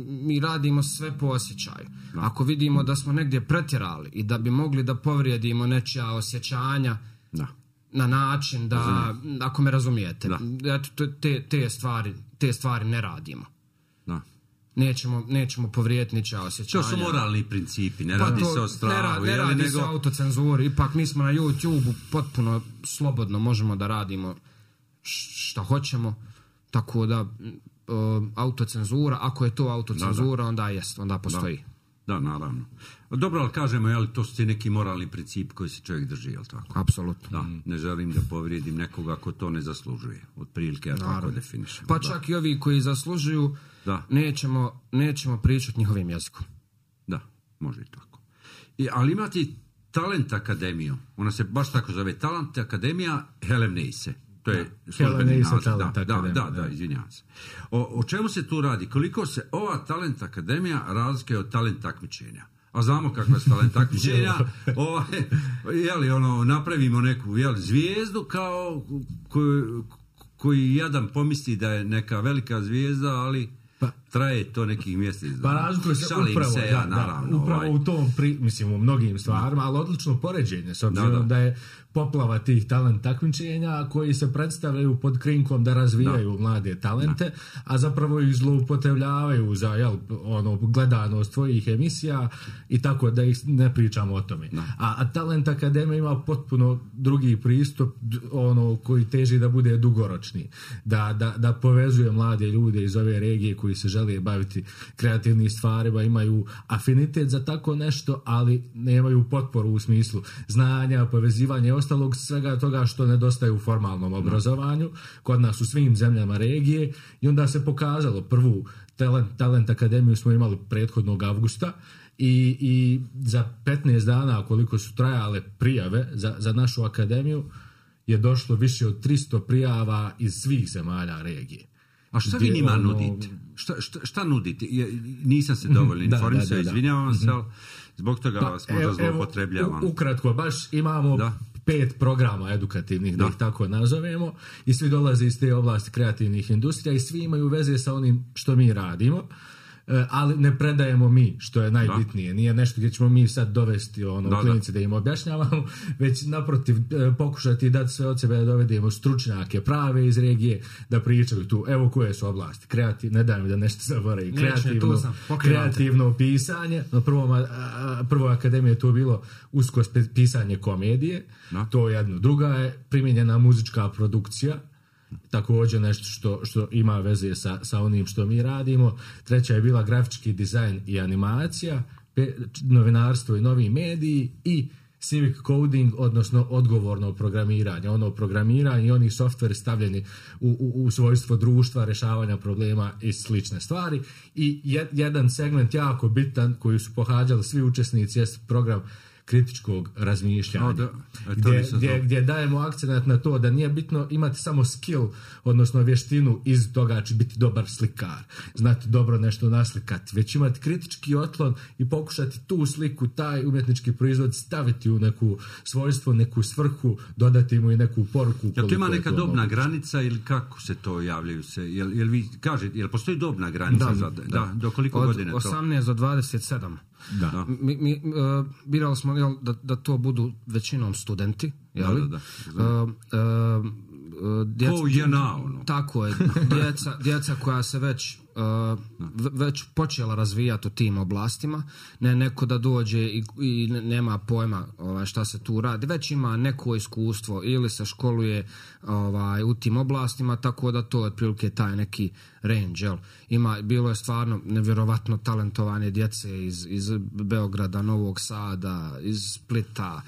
Mi radimo sve po osjećaju. Ako vidimo da smo negdje pretjerali i da bi mogli da povrijedimo nečija osjećanja na način da, ako me razumijete, te stvari ne radimo. Nećemo povrijediti ničija osjećanja. To su moralni principi, ne radi se o strahu. Ne radi se o autocenzuri, ipak mi smo na YouTube-u potpuno slobodno možemo da radimo šta hoćemo, tako da autocenzura, ako je to autocenzura, onda postoji. Da, naravno. Dobro, ali kažemo, to su ti neki moralni princip koji se čovjek drži, je li tako? Apsolutno. Ne želim da povrijedim nekoga ako to ne zaslužuje. Otprilike ja tako definišem. Pa čak i ovi koji zaslužuju, nećemo pričati njihovim jezikom. Da, može i tako. Ali imate Talent Akademiju. Ona se baš tako zove, Talent Akademija Helem Neise. To je službeni naziv. Da, izvinjavam se. O čemu se tu radi? Koliko se ova Talent Akademija razlikuje od talent takmičenja? A znamo kakva su talent takmičenja. Napravimo neku zvijezdu kao koji jadan pomisli da je neka velika zvijezda, ali traje to nekih mjesec. Pa razlikuje se upravo u tom, u mnogim stvarima, ali odlično poređenje, s obzirom da je poplava tih talent takmičenja koji se predstavljaju pod krinkom da razvijaju mlade talente, a zapravo ih zloupotrebljavaju za gledanost tvojih emisija i tako da ih ne pričamo o tome. A Talent Akademija ima potpuno drugi pristup koji teži da bude dugoročni, da povezuje mlade ljude iz ove regije koji se žele baviti kreativnim stvarima, imaju afinitet za tako nešto, ali nemaju potporu u smislu znanja, povezivanja i ostalog svega toga što nedostaje u formalnom obrazovanju kod nas u svim zemljama regije. I onda se pokazalo, prvu Talent Akademiju smo imali prethodnog avgusta i za 15 dana koliko su trajale prijave za našu akademiju je došlo više od 300 prijava iz svih zemalja regije. A šta vi njima nudite? Šta nudite? Nisam se dovoljno informisao, izvinjavam se, ali zbog toga vas možda zloupotrebljavam. Ukratko, baš imamo 5 programa edukativnih, da ih tako nazovemo, i svi dolaze iz te oblasti kreativnih industrija i svi imaju veze sa onim što mi radimo. Ali ne predajemo mi, što je najbitnije. Nije nešto gdje ćemo mi sad dovesti u klinici da im objašnjavamo, već naprotiv pokušati dati sve od sebe da dovedemo stručnjake prave iz regije da pričaju tu. Evo koje su oblasti. Ne daj mi da nešto zaboravim. Kreativno pisanje. Na prvoj akademiji je to bilo usko pisanje komedije. To je jedno. Druga je primijenjena muzička produkcija. Također nešto što ima veze sa onim što mi radimo. Treća je bila grafički dizajn i animacija, novinarstvo i novi mediji i civic coding, odnosno odgovorno programiranje. Programiranje i oni softveri stavljeni u svojstvo društva, rješavanja problema i slične stvari. I jedan segment jako bitan koji su pohađali svi učesnici je program kritičkog razmišljanja, gdje dajemo akcent na to da nije bitno imati samo skill, odnosno vještinu iz toga će biti dobar slikar, znati dobro nešto naslikati, već imati kritički otklon i pokušati tu sliku, taj umjetnički proizvod staviti u neku svojstvo, neku svrhu, dodati mu i neku poruku. Jel to ima neka dobna granica ili kako se to javljaju se? Jel vi kažete, jel postoji dobna granica? Do koliko godina to? Od 18 do 27. Mi birali smo da to budu većinom studenti, Tako je, djeca koja se već već počela razvijati u tim oblastima, ne neko da dođe i nema pojma šta se tu radi, već ima neko iskustvo ili se školuje u tim oblastima, tako da to je otprilike taj neki range. Bilo je stvarno nevjerovatno talentovane djece iz Beograda, Novog Sada, iz Splita,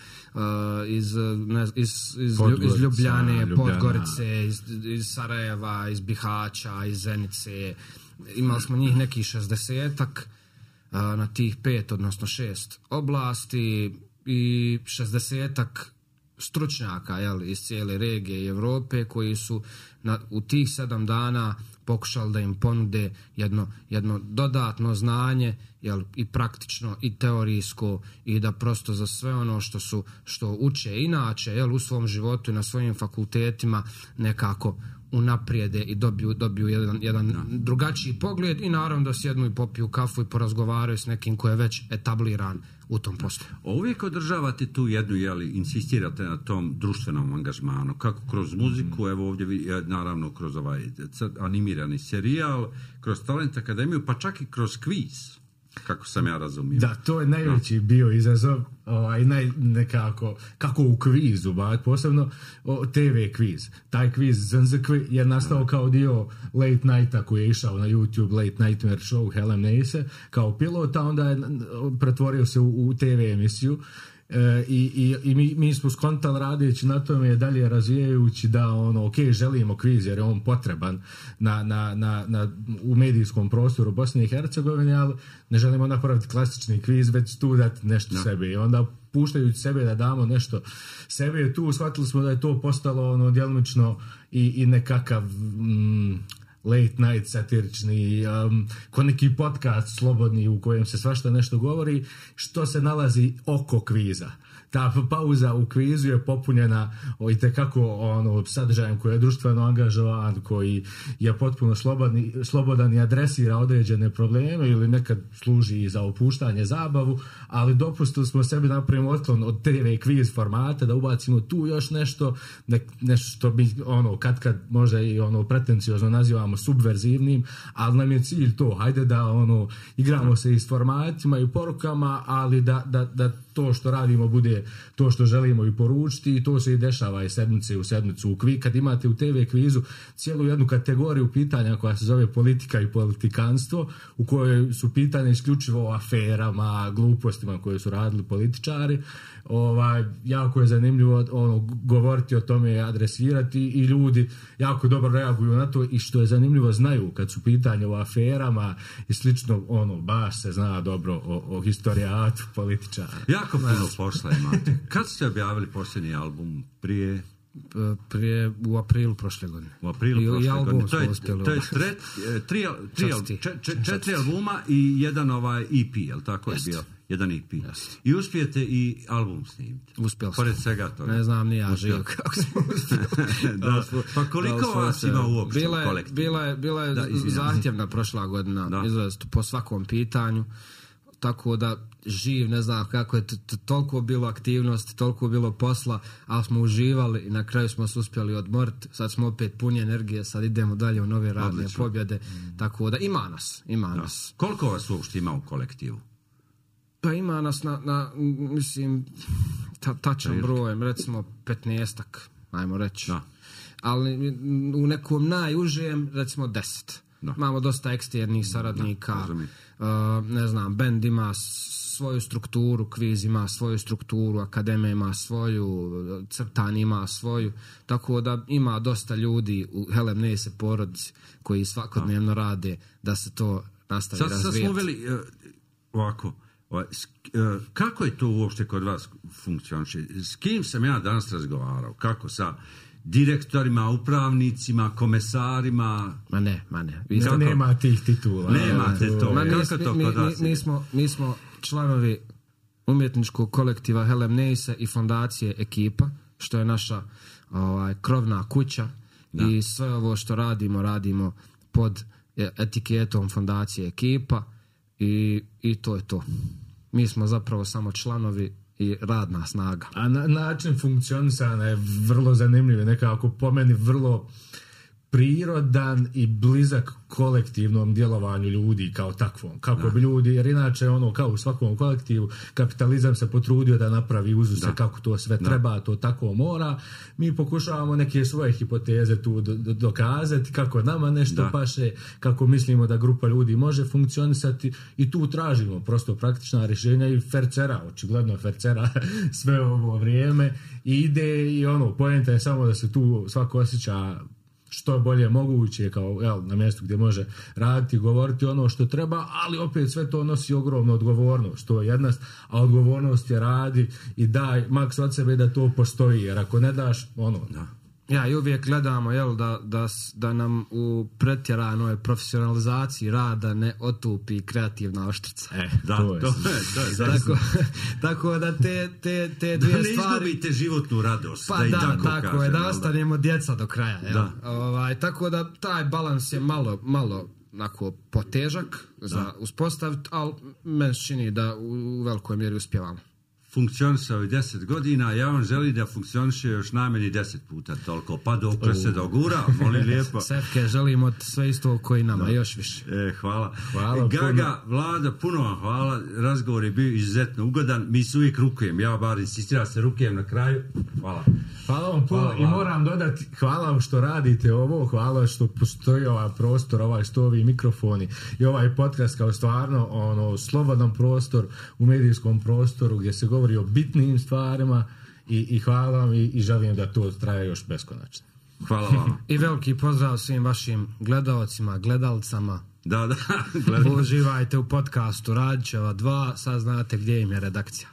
iz Ljubljane, Podgorice, iz Sarajeva, iz Bihaća, iz Zenice. Imali smo njih nekih 60-ak na tih 5, odnosno 6 oblasti i 60-ak stručnjaka iz cijele regije i Europe koji su u tih 7 dana pokušali da im ponude jedno dodatno znanje, i praktično i teorijsko, i da prosto za sve ono što uče inače u svom životu i na svojim fakultetima nekako unaprijede i dobiju jedan drugačiji pogled, i naravno da sjednu i popiju kafu i porazgovaraju s nekim ko je već etabliran u tom poslu. Uvijek održavate tu jednu, insistirate na tom društvenom angažmanu, kako kroz muziku, evo ovdje naravno kroz ovaj animirani serijal, kroz Talent Akademiju, pa čak i kroz kviz, kako sam ja razumio. Da, to je najveći bio izazov, nekako, kako u kvizu, posebno TV kviz. Taj kviz Zanzakvi je nastao kao dio Late Nighta koji je išao na YouTube, Late Nightmare Show Helen Nace, kao pilota, onda je pretvorio se u TV emisiju. I mi smo skontali radeći na tome dalje razvijajući da želimo kviz jer je on potreban u medijskom prostoru Bosne i Hercegovine, ali ne želimo napraviti klasični kviz, već tu dati nešto sebe, i onda puštajući sebe da damo nešto sebe tu, shvatili smo da je to postalo djelomično i nekakav late night satirični, ko neki podcast slobodni u kojem se svašta nešto govori, što se nalazi oko kviza. Ta pauza u kvizu je popunjena itekako sadržajem koji je društveno angažovan, koji je potpuno slobodan i adresira određene probleme ili nekad služi za opuštanje, zabavu, ali dopustili smo sebi napravimo otklon od TV kviz formata da ubacimo tu još nešto što bi kad možda i pretenciozno nazivamo subverzivnim, ali nam je cilj to, hajde da igramo se i s formatima i porukama, ali da to što radimo bude to što želimo i poručiti, i to se i dešava i sedmice u sedmicu. Kad imate u TV kvizu cijelu jednu kategoriju pitanja koja se zove politika i politikanstvo, u kojoj su pitanja isključivo o aferama, glupostima koje su radili političari. Jako je zanimljivo govoriti o tome, adresirati, i ljudi jako dobro reaguju na to, i što je zanimljivo znaju kad su pitanja o aferama i slično, baš se zna dobro o historijatu političara. Jako puno posla imate. Kad ste objavili posljednji album? Prije u aprilu prošle godine. U aprilu prošle godine. To je 4 albuma i jedan EP, jel tako je bio? Jedan EP. Yes. I uspijete i album snimiti. Uspjeli smo. Pored svega toga. Ne znam, ni ja živ kako smo uspjeli. Pa koliko vas ima uopšte u kolektivu? Bila je zahtjevna prošla godina, izrazito po svakom pitanju, tako da živ, ne znam kako je, toliko bilo aktivnosti, toliko bilo posla, ali smo uživali i na kraju smo se uspjeli odmoriti. Sad smo opet puni energije, sad idemo dalje u nove radne pobjede, tako da ima nas. Koliko vas uopšte ima u kolektivu? Pa ima nas mislim, tačan broj, recimo 15-ak, ajmo reći. Da. Ali u nekom najužijem, recimo 10. Da. Imamo dosta eksternih saradnika, ne znam, bend ima svoju strukturu, kviz ima svoju strukturu, akademija ima svoju, crtan ima svoju, tako da ima dosta ljudi u Helen Nace porodici koji svakodnevno rade da se to nastavi razvijati. Sad smo uveli ovako, kako je to uopšte kod vas funkcioniše? S kim sam ja danas razgovarao? Kako sa direktorima, upravnicima, komesarima? Ma ne. Nema tih titula. Nemate to. Kako to kod vas? Mi smo članovi umjetničkog kolektiva Helen Nace i fondacije Ekipa, što je naša krovna kuća. Da. I sve ovo što radimo pod etiketom fondacije Ekipa, i to je to. Mi smo zapravo samo članovi i radna snaga. A način funkcionisanja je vrlo zanimljiv, nekako po meni vrlo prirodan i blizak kolektivnom djelovanju ljudi kao takvom. Kako bi ljudi, jer inače ono kao u svakom kolektivu kapitalizam se potrudio da napravi uzuse kako to sve treba, to tako mora. Mi pokušavamo neke svoje hipoteze tu dokazati kako nama nešto paše, kako mislimo da grupa ljudi može funkcionisati i tu tražimo prosto praktična rješenja i fercera, očigledno fercera sve ovo vrijeme i ide i poenta je samo da se tu svako osjeća što bolje moguće kao na mjestu gdje može raditi, govoriti ono što treba, ali opet sve to nosi ogromnu odgovornost, to je jedna, a odgovornost je radi i daj maks od sebe da to postoji, jer ako ne daš Ja, i uvijek gledamo da nam u pretjeranoj profesionalizaciji rada ne otupi kreativna oštrica. Tako da te dvije stvari... Da ne izgubite životnu radost. Pa tako je, da ostanemo djeca do kraja. Tako da taj balans je malo onako potežak za uspostaviti, ali meni se čini da u velikoj mjeri uspjevamo. Funkcionisao je 10 godina, ja vam želim da funkcioniše još najmanje 10 puta toliko, pa dokle se dogura, molim lijepo. Sefke, želimo sve isto koji nama, još više. Hvala. Gaga, Vlada, puno vam hvala, razgovor je bio izuzetno ugodan, mi se uvijek rukujem, ja bar insistiram se rukujem na kraju. Hvala vam puno i moram dodati, hvala vam što radite ovo, hvala što postoji ovaj prostor, što ovi mikrofoni i ovaj podcast kao stvarno slobodan prostor u medijskom prostoru gdje se govori o bitnim stvarima i hvala vam i želim da to traje još beskonačno. Hvala vam. I veliki pozdrav svim vašim gledaocima, gledalcama. Da. Uživajte u podcastu Radićeva 2, sad znate gdje im je redakcija.